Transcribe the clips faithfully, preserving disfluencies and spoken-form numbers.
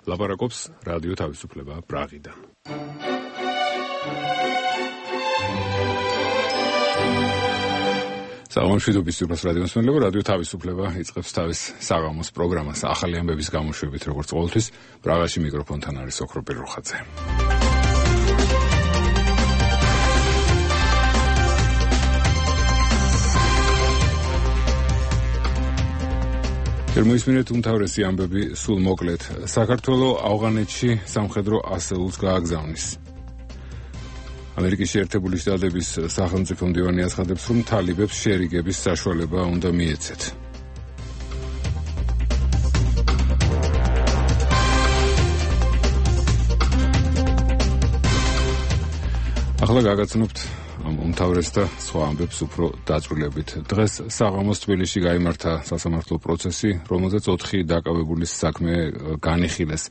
ლაპარაკობს რადიო თავისუფლება პრაღიდან. სამშვიდობის ძვირფას რადიოს მსმენელებო, რადიო თავისუფლება იწყებს თავის საღამოს პროგრამას ახალი ამბების გამოშვებით, როგორც ყოველთვის. პრაღაში მიკროფონთან არის ოქრო პიროხაძე. მოისმინეთ უმთავრესი ამბები სულ მოკლედ. საქართველო ავღანეთში სამხედრო ასეულს გააგზავნის. ამერიკის შეერთებული შტატების სახელმწიფო მდივანი აცხადებს, რომ თალიბებს შერიგების საშუალება უნდა მიეცეთ. ახლა გაგაცნობთ ამ უმთავრეს და სხვა ამბებს უფრო დაწვრილებით. დღეს საღამოს თბილისში გაიმართა სასამართლო პროცესი, რომელზეც ოთხი დაკავებულის საქმე განიხილეს.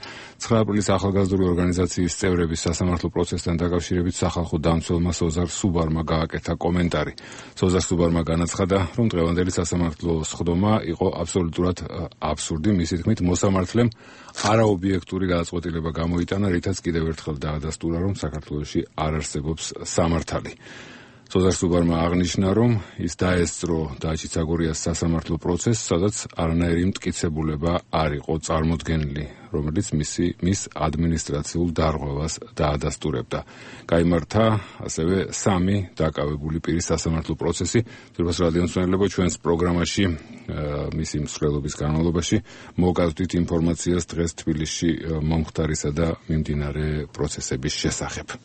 ცხრა აპრილის ახალგაზრდული ორგანიზაციის წევრების სასამართლო პროცესთან დაკავშირებით სახალხო დამცველმა სოზარ სუბარმა გააკეთა კომენტარი. სოზარ სუბარმა განაცხადა, რომ დღევანდელი სასამართლო სხდომა იყო აბსოლუტურად აბსურდი, მისი თქმით, მოსამართლემ არაობიექტური გადაწყვეტილება გამოიტანა, რითაც კიდევ ერთხელ დაადასტურა, რომ საქართველოში არ არსებობს სამართალი. სოზარ სუბარმა აღნიშნა, რომ ის დაესწრო დაჩიცაგორიას სასამართლო პროცესს, სადაც არანაირი მტკიცებულება არ იყო წარმოდგენილი, რომელიც მისი მის ადმინისტრაციულ დარღვევას დაადასტურებდა. გაიმართა ასევე სამი დაკავებული პირის სასამართლო პროცესი. ძვირფას რადიოს მსმენელებო, ჩვენს პროგრამაში მისი მსვლელობის განმავლობაში მოგავდით ინფორმაციას დღეს თბილისში მომხდარისა და მიმდინარე პროცესების შესახებ.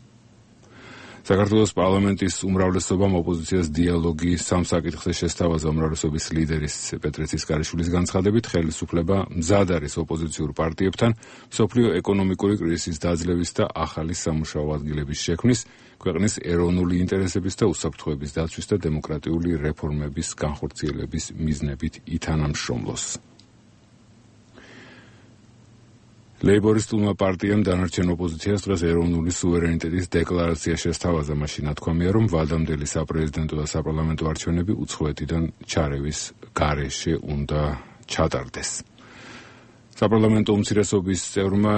საქართველოს პარლამენტის უმრავლესობამ ოპოზიციას დიალოგი სამ საკითხზე შესთავაზა. უმრავლესობის ლიდერის პეტრე ცისკარიშვილის განცხადებით, ხელისუფლება მზად არის ოპოზიციურ პარტიებთან მსოფლიო ეკონომიკური კრიზისის დაძლევის და ახალი სამუშაო ადგილების შექმნის, ქვეყნის ეროვნული ინტერესების და უსაფრთხოების დაცვის და დემოკრატიული რეფორმების განხორციელების მიზნებით ითანამშრომლოს. ლეიბორისტულმა პარტიამ დანარჩენ ოპოზიციას დღეს ეროვნული სუვერენიტეტის დეკლარაცია შესთავაზა. მაშინ ნათქვამია, რომ ვადამდელი საპრეზიდენტო და საპარლამენტო არჩევნები უცხოეთიდან ჩარევის გარეშე უნდა ჩატარდეს. საპარლამენტო უმცირესობის წევრმა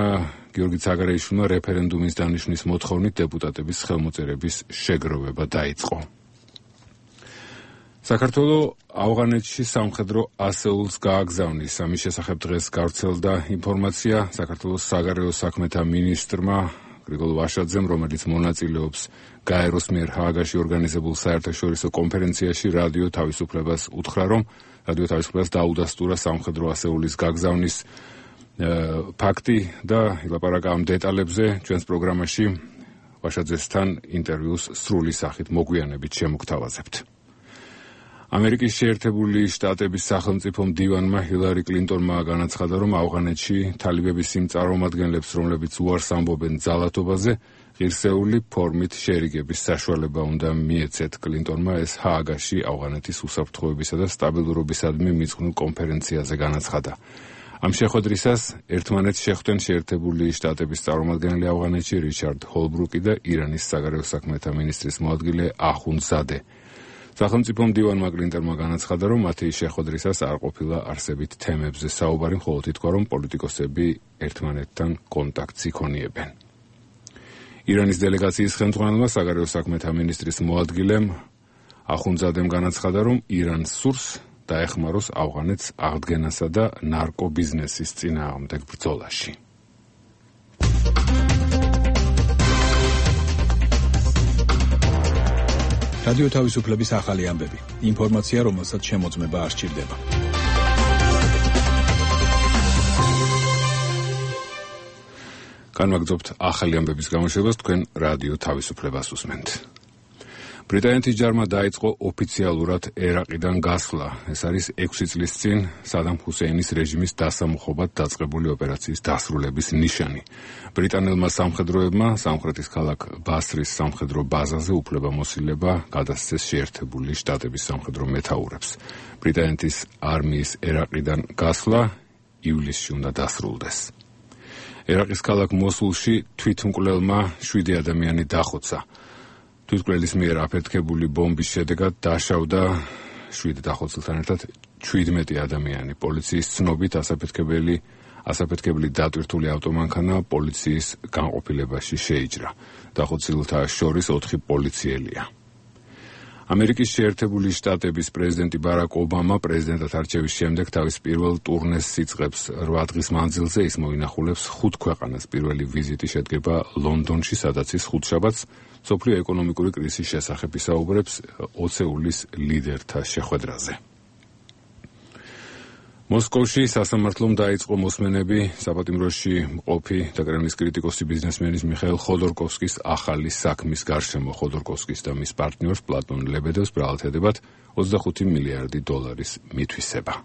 გიორგი ცაგარეიშვილმა რეფერენდუმის დანიშვნის მოთხოვნით დეპუტატების ხელმოწერების შეგროვება დაიწყო. საქართველო ავღანეთში სამხედრო ასეულს გააგზავნის. ამის შესახებ დღეს გავრცელდა ინფორმაცია საქართველოს საგარეო საქმეთა მინისტრმა გრიგოლ ვაშაძემ, რომელიც მონაწილეობს გაეროს მიერ ჰააგაში ორგანიზებულ საერთაშორისო კონფერენციაში რადიო თავისუფლებას უთხრა, რომ რადიო თავისუფლებას დაუდასტურა სამხედრო ასეულის გაგზავნის ფაქტი და ილაპარაკა ამ დეტალებზე ჩვენს პროგრამაში ვაშაძესთან ინტერვიუს სრული სახით მოგვიანებით შემოგთავაზებთ. ამერიკის შეერთებული შტატების სახელმწიფო მდივანმა ჰილარი კლინტონმა განაცხადა, რომ ავღანეთში თალიბების იმ წარმომადგენლებს, რომლებიც უარს ამბობენ ძალადობაზე, ღირსეული ფორმით შერიგების საშუალება უნდა მიეცეთ. კლინტონმა ეს ჰააგაში ავღანეთის უსაფრთხოებისა და სტაბილურობისადმი მიძღვნილ კონფერენციაზე განაცხადა. ამ შეხვედრისას ერთმანეთს შეხვდნენ შეერთებული შტატების წარმომადგენელი ავღანეთში რიჩარდ ჰოლბრუკი და ირანის საგარეო საქმეთა მინისტრის მოადგილე ახუნძადე. სახელმწიფო მდივანმა კლინტონმა განაცხადა, რომ მათი შეხვედრისას არ ყოფილა არსებით თემებზე საუბარი, მხოლოდ ითქვა, რომ პოლიტიკოსები ერთმანეთთან კონტაქტს იქონიებენ. ირანის დელეგაციის ხელმძღვანელმა საგარეო საქმეთა მინისტრის მოადგილემ ახუნძადემ განაცხადა, რომ ირანს სურს დაეხმაროს ავღანეთს აღდგენასა და ნარკობიზნესის წინააღმდეგ ბრძოლაში. რადიო თავისუფლების ახალი ამბები. ინფორმაცია, რომელსაც შემოწმება არ სჭირდება. განვაგრძობთ ახალი ამბების გამოშვებას, თქვენ რადიო თავისუფლებას უსმენთ. ბრიტანეთის ჯარმა დაიწყო ოფიციალურად ერაყიდან გასვლა. ეს არის ექვსი წლის წინ სადამ ჰუსეინის რეჟიმის დასამუხობად დაწყებული ოპერაციის დასრულების ნიშანი. ბრიტანელმა სამხედროებმა სამხრეთის ქალაქ ბასრის სამხედრო ბაზაზე უფლებამოსილება გადასცეს შეერთებული შტატების სამხედრო მეთაურებს. ბრიტანეთის არმიის ერაყიდან გასვლა ივლისში უნდა დასრულდეს. ერაყის ქალაქ მოსულში თვითმკვლელმა შვიდი ადამიანი დახოცა. თვითმკვლელის მიერ აფეთქებული ბომბის შედეგად დაშავდა შვიდ დახოცილთან ერთად ჩვიდმეტი ადამიანი. პოლიციის ცნობით ასაფეთქებელი ასაფეთქებელი დატვირთული ავტომანქანა პოლიციის განყოფილებაში შეიჭრა. დახოცილთა შორის ოთხი პოლიციელია. ამერიკის შეერთებული შტატების პრეზიდენტი ბარაკ ობამა პრეზიდენტად არჩევის შემდეგ თავის პირველ ტურნეს იწყებს. რვა დღის მანძილზე ის მოინახულებს ხუთ ქვეყანას. პირველი ვიზიტი შედგება ლონდონში, სადაც ის ხუთშაბათს მსოფლიო ეკონომიკური კრიზისის შესახებ ისაუბრებს ოცეულის ლიდერთა შეხვედრაზე. მოსკოვში სასამართლომ დაიწყო მოსმენები საპატიმროში მყოფი და კრემლის კრიტიკოსი ბიზნესმენის მიხაილ ხოდორკოვსკის ახალი საქმის გარშემო. ხოდორკოვსკის და მის პარტნიორს პლატონ ლებედევს ბრალად ედებათ ოცდახუთი მილიარდი დოლარის მითვისება.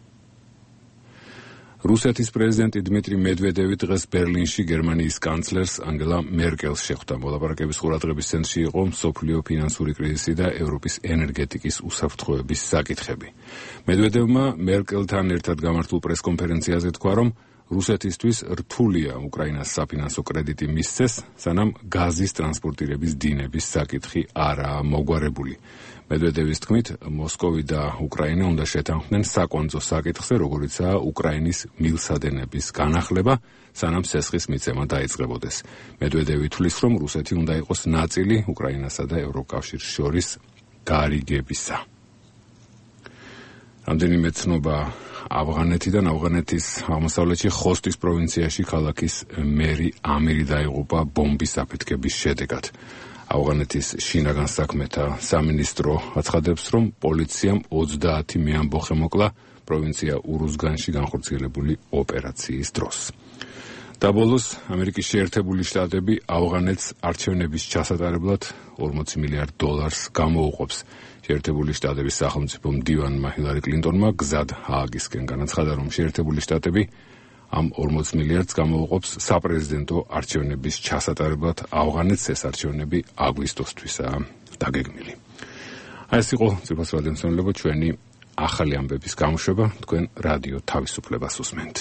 რუსეთის პრეზიდენტი დმიტრი მედვედევი დღეს ბერლინში გერმანიის კანცლერს ანგელა მერკელს შეხვდა. მოლაპარაკების ყურადღების ცენტრში იყო მსოფლიო ფინანსური კრიზისი და ევროპის ენერგეტიკის უსაფრთხოების საკითხები. მედვედევმა მერკელთან ერთად გამართულ პრესკონფერენციაზე თქვა, რომ რუსეთისთვის რთულია უკრაინას საფინანსო კრედიტი მისცეს, სანამ გაზის ტრანსპორტირების დინების საკითხი არაა მოგვარებული. მედვედევის თქმით, მოსკოვი და უკრაინა უნდა შეთანხმდნენ საკვანძო საკითხზე, როგორიცაა უკრაინის მილსადენების განახლება, სანამ სესხის მიცემა დაიწყებოდეს. მედვედევი თვლის, რომ რუსეთი უნდა იყოს ნაწილი უკრაინასა და ევროკავშირს შორის გარიგებისა. რამდენიმე ცნობა ავღანეთიდან. ავღანეთის აღმოსავლეთში ხოსტის პროვინციაში ქალაქის მერი ამირი დაიღუპა ბომბის აფეთქების შედეგად. ავღანეთის შინაგან საქმეთა სამინისტრო აცხადებს, რომ პოლიციამ ოცდაათი მეამბოხე მოკლა პროვინცია ურუზგანში განხორციელებული ოპერაციის დროს. და ბოლოს ამერიკის შეერთებული შტატები ავღანეთს არჩევნების ჩასატარებლად ორმოცი მილიარდ დოლარს გამოუყოფს. შეერთებული შტატების სახელმწიფო მდივანმა ჰილარი კლინტონმა გზად ჰააგისკენ განაცხადა, რომ შეერთებული შტატები ამ ორმოც მილიარდს გამოუყოფს საპრეზიდენტო არჩევნების ჩასატარებლად. ავღანეთს ეს არჩევნები აგვისტოსთვისაა დაგეგმილი. აი ეს იყო ძვირფას რადიომსმენელებო ჩვენი ახალი ამბების გამოშვება. თქვენ რადიო თავისუფლებას უსმენთ.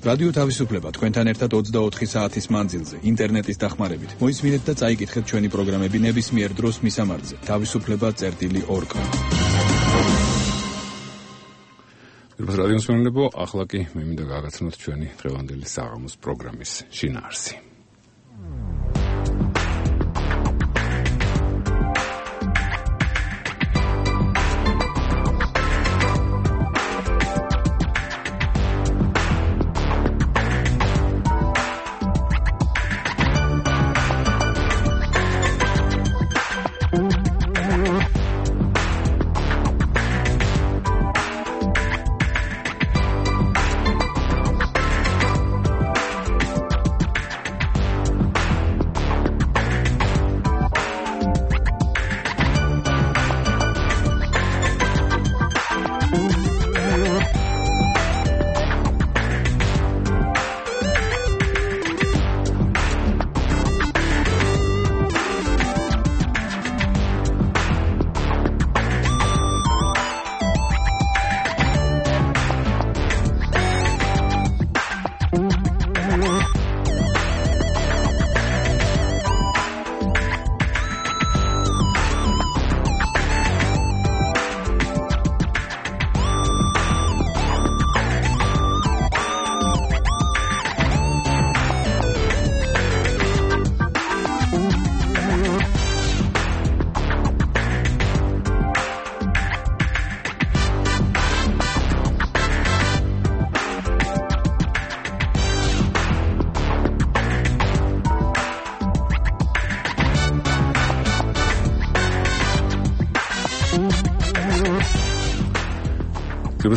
რადიო თავისუფლება თქვენთან ერთად ოცდაოთხი საათის მანძილზე ინტერნეტის დახმარებით. მოისმინეთ და წაიკითხეთ ჩვენი პროგრამები ნებისმიერ დროს მისამართზე თავისუფლება წერტილი ორ კომ. ძვირფას რადიომსმენელებო, ახლა კი მე მინდა გაგაცნოთ ჩვენი დღევანდელი საღამოს პროგრამის შინაარსი.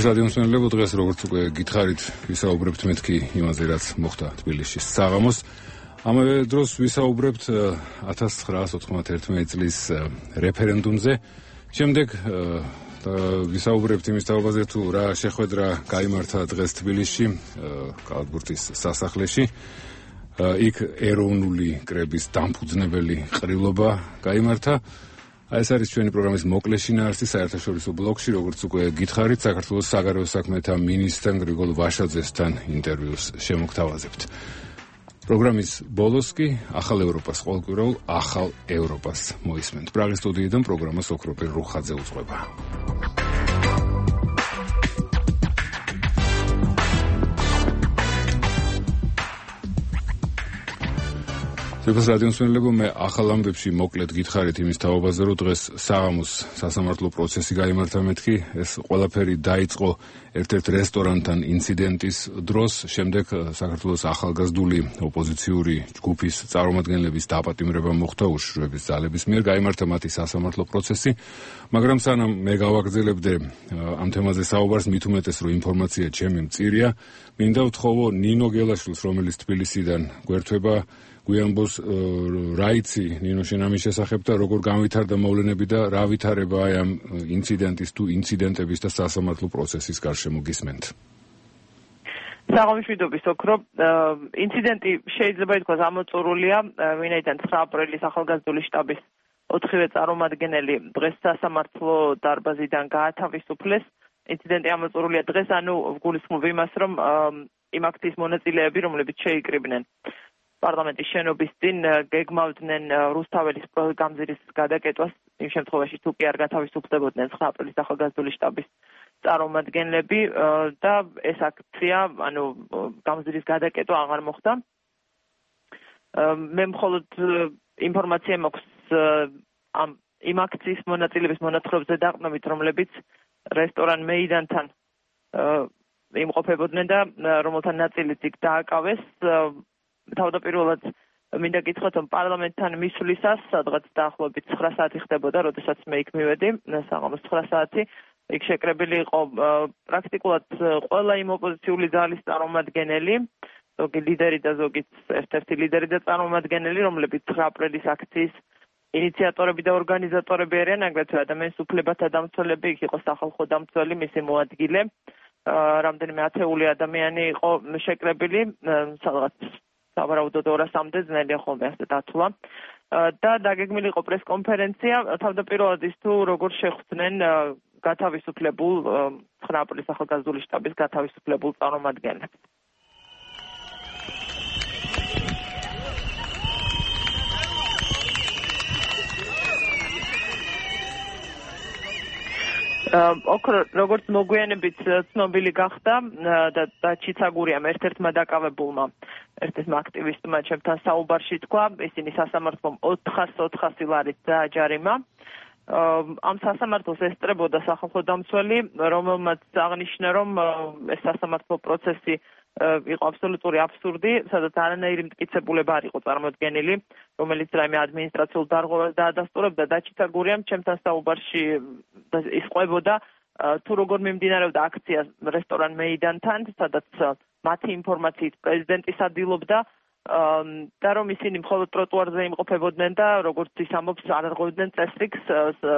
რადიომსმენელებო, დღეს როგორც უკვე გითხარით, ვისაუბრებთ მეთქი იმაზე, რაც მოხდა თბილისში საღამოს. ამავე დროს ვისაუბრებთ ათას ცხრაას ოთხმოცდაერთმეტი წლის რეფერენდუმზე. შემდეგ ვისაუბრებთ იმის თაობაზე, თუ რა შეხვედრა გაიმართა დღეს თბილისში, კალათბურთის სასახლეში. იქ ეროვნული კრების დამფუძნებელი ყრილობა გაიმართა. აი ეს არის ჩვენი პროგრამის მოკლე შინაარსი საერთაშორისო ბლოკში, როგორც უკვე გითხარით, საქართველოს საგარეო საქმეთა მინისტრ გრიგოლ ვაშაძესთან ინტერვიუს შემოგთავაზებთ. პროგრამის ბოლოს კი ახალ ევროპას ყოველკვირეულ ახალ ევროპას მოისმენთ. პრაღის სტუდიიდან პროგრამას ოქროპირ რუხაძე უძღვება. People's Radio მსმენელებო, მე ახალ ამბებში მოკლედ გითხარით იმის თაობაზე, რომ დღეს საღამოს სასამართლო პროცესი გაიმართა მეთქი. ეს ყველაფერი დაიწყო ერთ-ერთ რესტორანთან ინციდენტის დროს, შემდეგ საქართველოს ახალგაზრდული ოპოზიციური ჯგუფის წარმომადგენლების დაპატიმრება მოხდა უშიშროების ძალების მიერ, გაიმართა მათი სასამართლო პროცესი, მაგრამ სანამ მე გავაგრძელებდე ამ თემაზე საუბარს, მით უმეტეს რომ ინფორმაცია ჩემი მწირია, მინდა ვთხოვო ნინო გელაშვილს, რომელიც თბილისიდან გვერდება, გვიანბოს რა იცი ნინო შენ ამის შესახებ და როგორ განვითარდა მოვლენები და რა ვითარებაა ამ ინციდენტის თუ ინციდენტების და სასამართლო პროცესის გარშემო გისმენთ. საღამოშვიდობის ოქრო, ინციდენტი შეიძლება ითქვას ამოწურულია, ვინაიდან ცხრა აპრილის ახალგაზრდული შტაბის ოთხივე წარმომადგენელი დღეს სასამართლო დარბაზიდან გაათავისუფლეს. ინციდენტი ამოწურულია დღეს, ანუ ვგულისხმობ იმას, რომ იმ აქციის მონაწილეები, რომლებიც შეიკრიბნენ პარლამენტის შენობის წინ, გეგმავდნენ რუსთაველის გამზირის გადაკეტვას, იმ შემთხვევაში თუ კი არ გათავისუფლებოდნენ ცხრა აპრილის ახალგაზრდული შტაბის წარმომადგენლები და ეს აქცია, ანუ გამზირის გადაკეტვა აღარ მოხდა. მე მხოლოდ ინფორმაცია მაქვს ამ იმ აქციის მონაწილეების მონაცვლეებზე დაყნობით, რომლებიც რესტორან მეიდანთან იმყოფებოდნენ და რომელთა ნაწილიც იქ დააკავეს. თავდაპირველად მინდა გითხრათ, რომ პარლამენტთან მისვლისას, სადღაც დაახლოებით ცხრა საათი ხდებოდა, როდესაც მე იქ მივედი, საღამოს ცხრა საათი, იქ შეკრებილი იყო პრაქტიკულად ყველა იმ ოპოზიციური ძალის წარმომადგენელი, ზოგი ლიდერი და ზოგი ერთ-ერთი ლიდერი და წარმომადგენელი, რომლებიც ცხრა აპრილის აქციის ინიციატორები და ორგანიზატორები არიან, აგრეთვე ადამიანის უფლებათა დამცველები, იქ იყო სახალხო დამცველი, მისი მოადგილე, რამდენიმე ათეული ადამიანი იყო შეკრებილი, სადღაც სავარაუდოდ ორასამდე ძნელია ხოლმე ასე დათვლა და დაგეგმილი იყო პრესკონფერენცია, თავდაპირველად ის თუ როგორ შეხვდნენ გათავისუფლებულ ცხრა აპრილის ახალგაზრდული შტაბის გათავისუფლებულ წარმომადგენლებს. ოქრო, როგორც მოგვიანებით ცნობილი გახდა და ჩიცაგურიამ ერთ-ერთმა დაკავებულმა ერთ-ერთმა აქტივისტმა ჩემთან საუბარში თქვა, ისინი სასამართლომ ოთხასი ლარით დააჯარიმა. ამ სასამართლოს ესწრებოდა სახალხო დამცველი, რომელმაც აღნიშნა, რომ ეს სასამართლო პროცესი იყო აბსოლუტური აბსურდი, სადაც არანაირი მტკიცებულება არ იყო წარმოდგენილი, რომელიც რაიმე ადმინისტრაციულ დარღვევას დაადასტურებდა და ჩიცაგურიამ ჩემთან საუბარში ისყვებოდა თუ როგორ მიმდინარეობდა აქცია რესტორან მეიდანთან, სადაც მათი ინფორმაციით პრეზიდენტი სადილობდა და რომ ისინი მხოლოდ ტროტუარზე იმყოფებოდნენ და როგორც ის ამბობს, არ არღვევდნენ წესრიგს,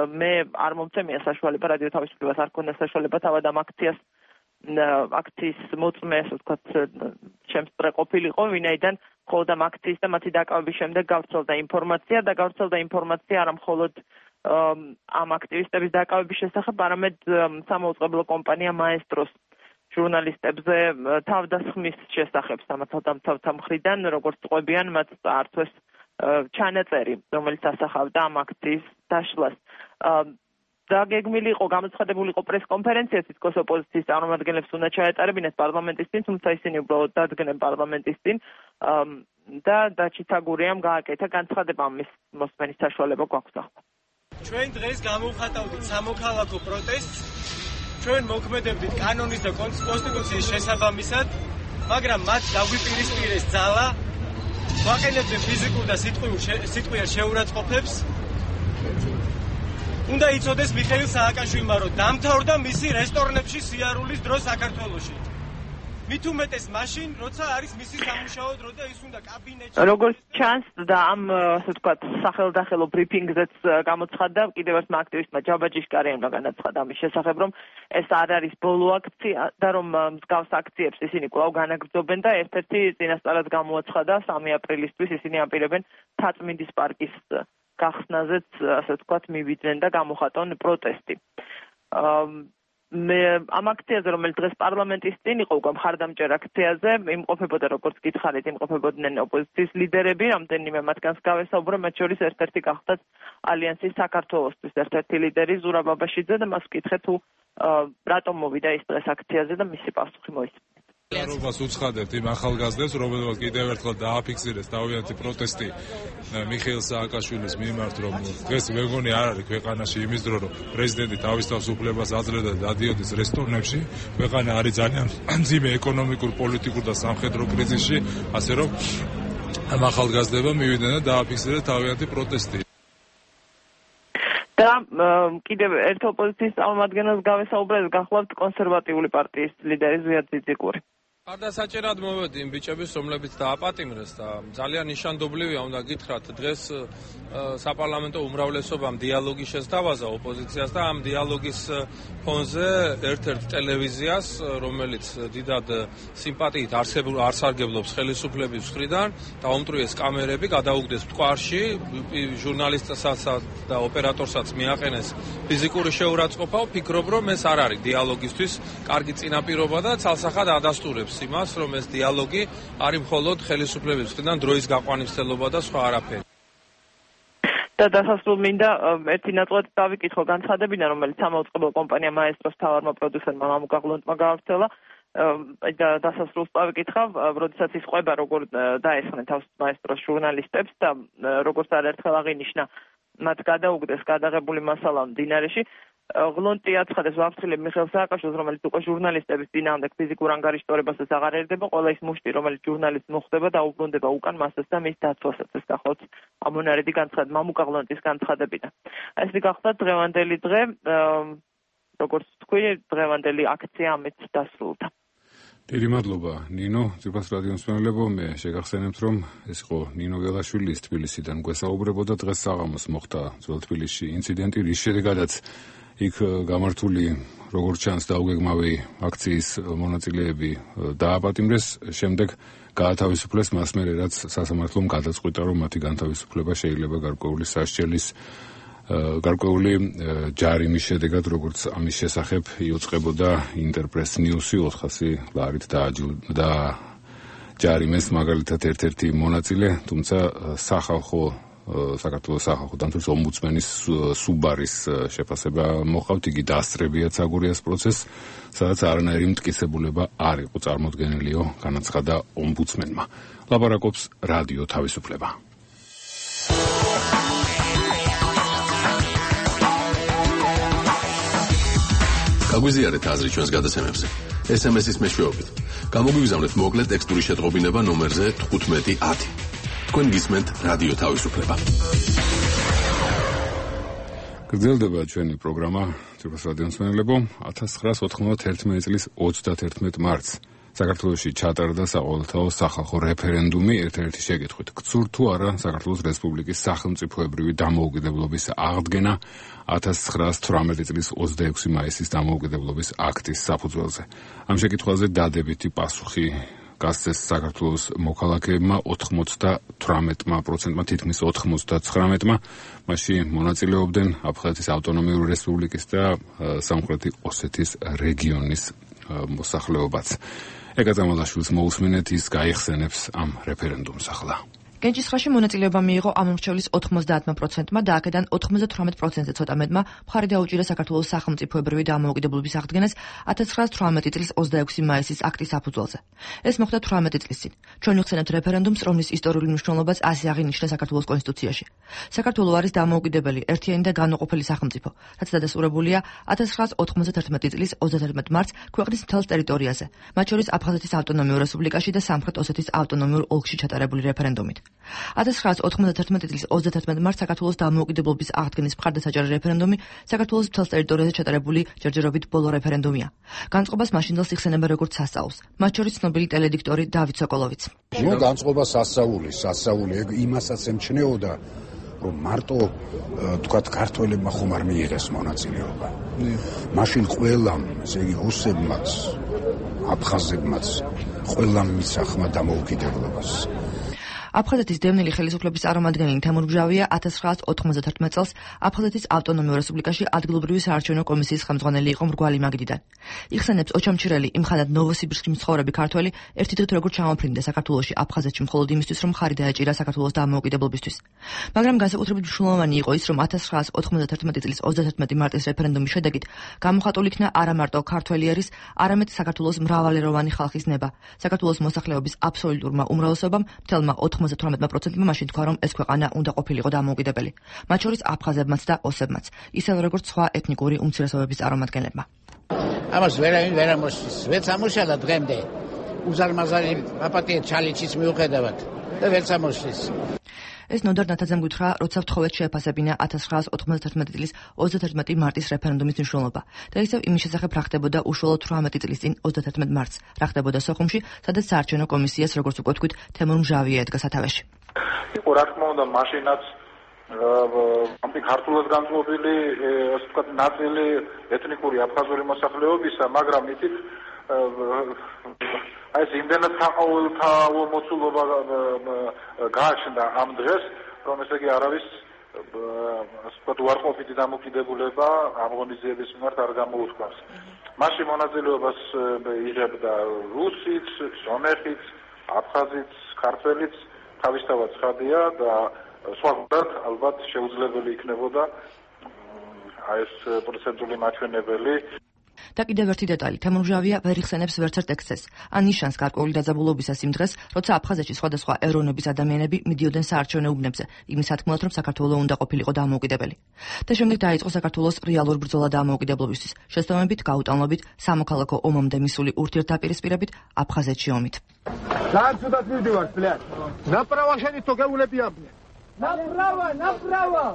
მე არ მომცემია საშუალება, რადიო თავისუფლებას არ ქონდა საშუალება თავად ამ აქციას აქციის მოწმე, ასე ვთქვათ, შემსწრე ყოფილიყო, ვინაიდან მხოლოდ ამ აქციის და მათი დაკავების შემდეგ გავრცელდა ინფორმაცია და გავრცელდა ინფორმაცია არა მხოლოდ ამ აქტივისტების დაკავების შესახებ, არამედ სამაუწყებლო კომპანია მაესტროს ჟურნალისტებზე თავდასხმის შესახებ სამართალდამცავთა მხრიდან, როგორც ყვებიან მათ წაართვეს ჩანაწერი, რომელიც ასახავდა ამ აქციის დაშლას. დაგეგმილი იყო, გამოცხადებული იყო პრესკონფერენცია, თითქოს ოპოზიციის წარმომადგენლებს უნდა ჩაეტარებინათ პარლამენტის წინ, თუმცა ისინი უბრალოდ დადგნენ პარლამენტის წინ და დაჩიცაგურიამ გააკეთა განცხადება, ამის მოსმენის საშუალება გვაქვს ახლა. ჩვენ დღეს გამოვხატავდით სამოქალაქო პროტესტს, ჩვენ მოქმედებდით კანონის და კონსტიტუციის შესაბამისად, მაგრამ მათ დაგვიპირისპირეს ძალა, ვაყენებდნენ ფიზიკურ და სიტყვიერ შეურაცხყოფებს. უნდა იცოდეს მიხეილ სააკაშვილმა, რომ დამთავრდა მისი რესტორნებში სიარულის დრო საქართველოში. მით უმეტეს მაშინ, როცა არის მისი სამუშაო დრო და ის უნდა კაბინეტში. როგორც ჩანს და ამ, ასე ვთქვათ, სახელდახელო ბრიფინგზეც გამოცხადდა, კიდევ ერთმა აქტივისტმა ჯაბაჯიშკარიანმა განაცხადა ამის შესახებ, რომ ეს არ არის ბოლო აქცია და რომ მსგავს აქციებს ისინი კვლავ განაგრძობენ და ერთ-ერთი წინასწარად გამოაცხადა სამი აპრილისთვის ისინი აპირებენ თაწმინდის პარკის გახსნაზეც, ასე ვთქვათ, მივიდნენ და გამოხატონ პროტესტი. მე ამ აქციაზე, რომელიც დღეს პარლამენტის წინ იყო, უკვე მხარდამჭერ აქციაზე, იმყოფებოდა, როგორც გითხარით, იმყოფებოდნენ ოპოზიციის ლიდერები, რამდენიმე მათგანს გავესაუბრო, მათ შორის ერთ-ერთი გახდათ ალიანსის საქართველოსთვის ერთ-ერთი ლიდერი ზურაბ აბაშიძე და მას ვკითხე თუ რატომ მოვიდა ის დღეს აქციაზე და მისი პასუხი მოისმინეთ. რობას უცხადებთ იმ ახალგაზრდებს, რომელთაც კიდევ ერთხელ დააფიქსირეს თავიანთი პროტესტი მიხეილ სააკაშვილის მიმართ, რომ დღეს ვეგონი არ არის ქვეყანაში იმის დრო, რომ პრეზიდენტი თავის თავისუფლებას აძლევდა და დადიოდეს რესტორნებში. ქვეყანა არის ძალიან მძიმე ეკონომიკურ, პოლიტიკურ და სამხედრო კრიზისში, ასე რომ ამ ახალგაზრდებმა მივიდნენ და დააფიქსირეს თავიანთი პროტესტი. და კიდევ ერთ ოპოზიციის წარმომადგენელს გავესაუბრეთ, გახლავთ კონსერვატიული პარტიის ლიდერი ზვიად ძიძიკური. არდასაჭერად მოვედი იმ ბიჭების, რომლებიც დააპატიმრეს და ძალიან ნიშანდობლივია, უნდა გითხრათ, დღეს საპარლამენტო უმრავლესობამ დიალოგი შესთავაზა ოპოზიციას და ამ დიალოგის ფონზე ერთ-ერთ ტელევიზიას, რომელიც დიდად სიმპათიით არსარგებლობს ხელისუფლების მხრიდან, დაუმტვრიეს კამერები, გადაუგდეს მტკვარში, ჟურნალისტსაც და ოპერატორსაც მიაყენეს ფიზიკური შეურაცხყოფა, ვფიქრობ, რომ ეს არ არის დიალოგისთვის კარგი წინაპირობა და ცალსახად ადასტურებს იმას, რომ ეს დიალოგი არის მხოლოდ ხელისუფლების მხრიდან დროის გაყვანისმცემლობა და სხვა არაფერი. და დასასრულ მინდა ერთი ნაწილად დავიკითხო განცხადებიდან, რომელიც სამაუწყებლო კომპანია მაესტროს მთავარმა პროდიუსერმა მამუკა ღლონტმა გაავრცელა. და დასასრულს დავიკითხავ, როდესაც ის ყვება როგორ დაესხნენ თავს მაესტროს ჟურნალისტებს და როგორც არაერთხელ აღინიშნა, მათ გადაუგდეს გადაღებული მასალა მდინარეში. ღლონტი აცხადებს ვაფრთხილებ მიხეილ სააკაშვილს, რომელიც უკვე ჟურნალისტების წინააღმდეგ ფიზიკურ ანგარიშტორებასაც აღარ ერდება, ყველა ის მუშტი, რომელიც ჟურნალისტს მოხვდება და უბრუნდება უკან მასას და მის დაცვასაც. ეს გახლავთ ამონარიდი განცხადება მამუკა ღლონტის განცხადებიდან. ეს გახლავთ დღევანდელი დღე, როგორც თქვი, დღევანდელი აქცია ამით დასრულდა. დიდი მადლობა ნინო, ძვირფას რადიო მსმენელებო, მე შეგახსენებთ, რომ ეს იყო ნინო ველაშვილის თბილისიდან გვესაუბრებოდა. დღეს საღამოს მოხდა ძველ თბილისში ინციდენტი, რის შედეგადაც იქ გამართული როგორც ჩანს დაუგეგმავი აქციის მონაწილეები დააპატიმრეს, შემდეგ გაათავისუფლეს მას მერე, რაც სასამართლომ გადაწყვიტა, რომ მათი განთავისუფლება შეიძლება გარკვეული სასჯელის გარკვეული ჯარიმის შედეგად, როგორც ამის შესახებ იუწყებოდა ინტერპრეს ნიუსი ოთხასი ლარით და ჯარიმეს მაგალითად ერთ-ერთი მონაწილე, თუმცა სახალხო საქართველოს სახალხო დამცველის ომბუდსმენის სუბარის შეფასება მოყავთ, იგი დაასწრებიათ საგურიას პროცესს, სადაც არანაირი მტკიცებულება არ იყო წარმოდგენილიო, განაცხადა ომბუდსმენმა. ლაპარაკობს რადიო თავისუფლება. გაგვიზიარეთ აზრი ჩვენს გადაცემებზე. ეს ემ ეს-ის მეშვეობით. გამოგვიგზავნეთ მოკლე ტექსტური შეტყობინება ნომერზე თხუთმეტი ათი. თქვენ გისმენთ რადიო თავისუფლება. გრძელდება ჩვენი პროგრამა, ძვირფას რადიო მსმენელებო, ათას ცხრაას ოთხმოცდაერთმეტი წლის ოცდათერთმეტ მარტს საქართველოში ჩატარდა საყოველთაო სახალხო რეფერენდუმი ერთ-ერთი შეკითხვით. გცურთ თუ არა საქართველოს რესპუბლიკის სახელმწიფოებრივი დამოუკიდებლობის აღდგენა ათას ცხრაას თვრამეტი წლის ოცდაექვსი მაისის დამოუკიდებლობის აქტის საფუძველზე. ამ შეკითხვაზე დადებითი პასუხი გასცეს საქართველოს მოქალაქეებმა ოთხმოცდათვრამეტმა პროცენტმა, თითქმის ოთხმოცდაცხრამეტმა. მასში მონაწილეობდნენ აფხაზეთის ავტონომიური რესპუბლიკის და სამხრეთი ოსეთის რეგიონის მოსახლეობაც. ეკა წამალაშვილს მოусმინეთ, ის გაიხსენებს ამ რეფერენდუმს ახლა. გენჯისხლაში მონაწილეობა მიიღო ამ მრჩევლის ოთხმოცდაათმა პროცენტმა და აქედან ოთხმოცდათვრამეტ პროცენტზე ცოტა მეტმა მხარი დაუჭირა საქართველოს სახელმწიფოებრივი დამოუკიდებლობის აღდგენას ათას ცხრაას თვრამეტი წლის ოცდაექვსი მაისის აქტის საფუძველზე. ეს მოხდა თვრამეტი წლის წინ. ჩვენ ვიხსენებთ რეფერენდუმს, რომლის ისტორიული მნიშვნელობაც ასე აღინიშნა საქართველოს კონსტიტუციაში. საქართველო არის დამოუკიდებელი, ერთიანი და განუყოფელი სახელმწიფო, რაც დადასტურებულია ათას ცხრაას ოთხმოცდაათერთმეტი წლის ოცდათერთმეტ მარტს ქვეყნის მთელ ტერიტორიაზე, მათ შორის აფხაზეთის ავტონომიურ რესპუბლიკაში და სამხრეთ ოსეთის ავტონომიურ ოლქში ჩატარებული რეფერენდუმით. ათას ცხრაას ოთხმოცდათერთმეტი წლის ოცდათერთმეტ მარტს საქართველოს დამოუკიდებლობის აღდგენის მხარდასაჭერი რეფერენდუმი საქართველოს მთელ ტერიტორიაზე ჩატარებული ჯერჯერობით ბოლო რეფერენდუმია. განწყობას მაშინდელს იხსენება როგორც სასწაულს, მათ შორის ცნობილი ტელედიქტორი დავით სოკოლოვიც. ნუ განწყობა სასწაული, სასწაული იმასაც ემჩნეოდა, რომ მარტო თქვათ ქართველებმა ხომ არ მიიღეს მონაწილეობა. მაშინ ყველამ, ესე იგი რუსებმაც, აფხაზებმაც, ყველამ მისახმა დამოუკიდებლობას. აფხაზეთის დევნილი ხელისუფლების წარმომადგენელი თემურ მჟავია ათას ცხრაას ოთხმოცდათერთმეტ წელს აფხაზეთის ავტონომიურ რესპუბლიკაში ადგილობრივი საარჩევნო კომისიის ხელმძღვანელი იყო მრგვალი მაგიდიდან. იხსენებს ოჩამჩირელი იმხანად ნოვოსიბირსკში მცხოვრები ქართველი ერთი დღით როგორ ჩამოფრინდა საქართველოში აფხაზეთში მხოლოდ იმისთვის, რომ ხარი დაეჭირა საქართველოს დამოუკიდებლობისთვის. მაგრამ განსაკუთრებით მნიშვნელოვანი იყო ის, რომ ათას ცხრაას ოთხმოცდათერთმეტი წლის ოცდათერთმეტი მარტის რეფერენდუმის შედეგით გამოხატული იქნა არა მარტო ქართველი ერის, არამედ საქართველოს მრავალეროვანი ხალხის ნება. საქართველოს მოსახლეობის აბსოლუტურმა უმრავლესობამ მთელმა ოთხმოცდათვრამეტ პროცენტმა მაშინ თქვა, რომ ეს ქვეყანა უნდა ყოფილიყო დამოუკიდებელი. მათ შორის აფხაზებმაც და ოსებმაც, ისევე როგორც სხვა ეთნიკური უმცირესობების წარმომადგენლებმა. ამას ვერავინ ვერ ამოსვის, ვერც ამუშალა დღემდე. უზარმაზარი აპატია ჩალიჩის მიუხედავად და ვერც ამოსვის. ეს ნოდარ ნათაძემ გითხრა, როცა ვთხოვეთ შეეფასებინა ათას ცხრაას ოთხმოცდათერთმეტი წლის ოცდათერთმეტი მარტის რეფერენდუმის მნიშვნელობა და ისევ იმის შესახებ რა ხდებოდა უშუალოდ თვრამეტი წლის წინ ოცდათერთმეტ მარტს, რა ხდებოდა სოხუმში, სადაც საარჩევნო კომისიას, როგორც უკვე თქვით, თემურ მჟავია ედგა სათავეში. იყო რა თქმა უნდა მაშინაც ამი ქართულად განწყობილი, ასე ვთქვათ, ნაწილი ეთნიკური აფხაზური მოსახლეობისა, მაგრამ ითით აი ეს იმდენად საყოველთაო მოცულობა გააჩნდა ამ დღეს, რომ ესე იგი არავის ასე ვთქვათ უარყოფითი დამოკიდებულება ამ ღონისძიების მიმართ არ გამოუთქვამს. მასში მონაწილეობას იღებდა რუსიც, სომეხიც, აფხაზიც, ქართველიც, თავისთავად ცხადია და სხვაგვარად ალბათ შეუძლებელი იქნებოდა აი ეს პროცენტული მაჩვენებელი. და კიდევ ერთი დეტალი, თემურ მჟავია ვერ იხსენებს ვერც ერთ ექსცესს, ან ნიშანს გარკვეული დაძაბულობისას იმ დღეს, როცა აფხაზეთში სხვადასხვა ეროვნების ადამიანები მიდიოდნენ საარჩევნო უბნებზე, იმის თქმულად, რომ საქართველო უნდა ყოფილიყო დამოუკიდებელი. და შემდეგ დაიწყო საქართველოს რეალურ ბრძოლა დამოუკიდებლობისთვის, შესაბამებით გაუტანლობით სამოქალაქო ომამდე მისული ურთიერთდაპირისპირებით აფხაზეთში ომით. ძალიან ცუდად მივდივართ, ბლядь. ნაპრავა შენი თო გეულებია. ნაპრავა, ნაპრავა.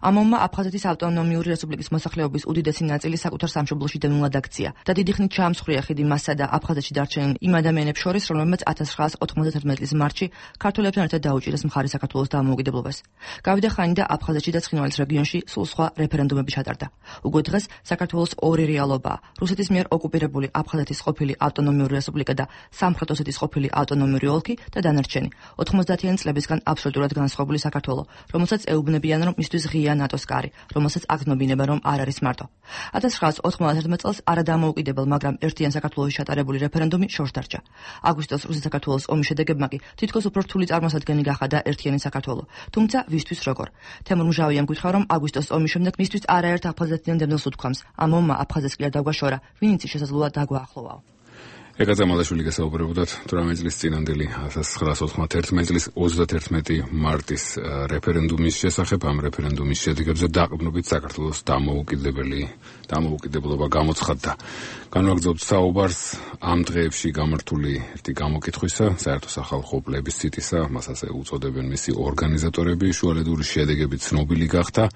ამომმა აფხაზეთის ავტონომიური რესპუბლიკის მოსახლეობის უდიდესი ნაწილი საკუთარ სამშობლოში დევნილად აქცია და დიდი ხნით ჩაამსხვრია ხიდი მასსა და აფხაზეთში დარჩენილ იმ ადამიანებს შორის, რომლებმაც ათას ცხრაას ოთხმოცდათერთმეტი წლის მარტში ქართველებთან ერთად დაუჭირეს მხარი საქართველოს დამოუკიდებლობას. გავიდა ხანი და აფხაზეთში და ცხინვალის რეგიონში სულ სხვა რეფერენდუმები ჩატარდა. უკვე დღეს საქართველოს ორი რეალობაა: რუსეთის მიერ ოკუპირებული აფხაზეთის ყოფილი ავტონომიური რესპუბლიკა და სამხრეთ ოსეთის ყოფილი ავტონომიური ოლქი და დანარჩენი ოთხმოცდაათიანი წლებისგან აბსოლუტურად განსხვავებული საქართველო, რომელსაც ეუბნებიან, რომ მისთვის ღია ნატოს კარი, რომელსაც აგნობინება, რომ არ არის მარტო. ათას ცხრაას ოთხმოცდათერთმეტ წელს არადამოუკიდებელ, მაგრამ ერთიან საქართველოში ჩატარებული რეფერენდუმი შორს დარჩა. აგვისტოს რუსეთ-საქართველოს ომის შედეგებმა კი თითქოს უფრო რთული წარმოსადგენელი გახადა ერთიანი საქართველო. თუმცა ვისთვის როგორ? თემურ მჟავიამ გითხრა, რომ აგვისტოს ომის შემდეგ მისთვის არაერთ აფხაზეთიდან დევნილს უთქვამს. ამ ომმა აფხაზეთს კი არ დაგვაშორა, ვინც შესაძლოა დაგვაახლოვაო. ეკა ზამალაშვილი გასაუბრებოდათ თვრამეტ წლის წინანდელი ათას ცხრაას ოთხმოცდათერთმეტ წლის ოცდათერთმეტი მარტის რეფერენდუმის შესახებ. ამ რეფერენდუმის შედეგებზე დაყრდნობით საქართველოს დამოუკიდებელი დამოუკიდებლობა გამოცხადდა. განვაგრძობთ საუბარს ამ დღეებში გამართული ერთი გამოკითხვისა, საერთო სახალხო პლებისციტისა, მას ასე უწოდებენ მისი ორგანიზატორები, შუალედური შედეგები ცნობილი გახდა.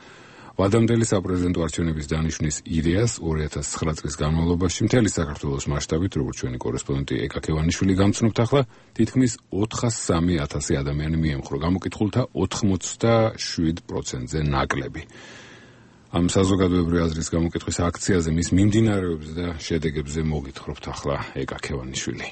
ვადამდელი საპრეზიდენტო არჩევნების დანიშვნის იდეას ორი ათას ცხრა წლის განმავლობაში მთელი საქართველოს მასშტაბით, როგორც ჩვენი კორესპონდენტი ეკა ქევანიშვილი გამცნობთ, ახლა თითქმის ოთხას სამი ათასი ადამიანი მიემხრო. გამოკითხულთა ოთხმოცდაშვიდ პროცენტზე ნაკლები. ამ საზოგადოებრივი აზრის გამოკითხვის აქციაზე მის მიმდინარეობებზე და შედეგებზე მოგითხრობთ ახლა ეკა ქევანიშვილი.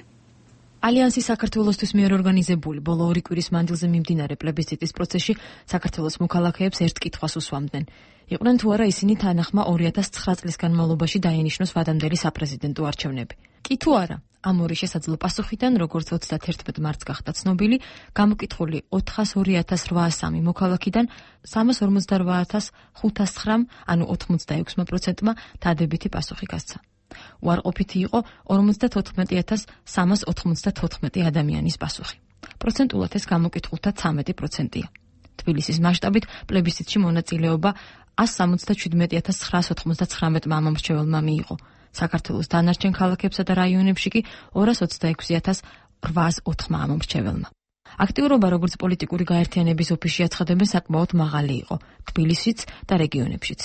ალიანსი საქართველოსთვის მიერ ორგანიზებული ბოლო ორი კვირის მანძილზე მიმდინარე პლებისციტის პროცესში საქართველოს მოქალაქეებს ერთ კითხვას უსვამდნენ. იყვნენ თუ არა ისინი თანახმა ორი ათას ცხრა წლის განმავლობაში დაინიშნოს ვადამდელი საპრეზიდენტო არჩევნები. კი თუ არა, ამ ორი შესაძლო პასუხიდან, როგორც ოცდათერთმეტ მარტს გახდა ცნობილი, გამოკითხული ოთხას ორი ათას რვაას სამი მოქალაქიდან სამას ორმოცდარვა ათას ხუთას ცხრამ, ანუ ოთხმოცდაექვსმა პროცენტმა დადებითი პასუხი გასცა. უარყოფითი იყო ორმოცდათოთხმეტი ათას სამას ოთხმოცდათოთხმეტი ადამიანის პასუხი. პროცენტულად ეს გამოკითხულთა ცამეტი პროცენტია. თბილისის მასშტაბით პლებისციტში მონაწილეობა ას სამოცდაშვიდმეტი ათას ცხრაას ოცდათვრამეტმა ამომრჩეველმა მიიღო. საქართველოს დანარჩენ ქალაქებსა და რაიონებში კი ორას ოცდაექვსი ათას რვაას ოთხმა ამომრჩეველმა. აქტიურობა, როგორც პოლიტიკური გაერთიანების ოფისში აცხადებენ, საკმაოდ მაღალი იყო თბილისშიც და რეგიონებშიც.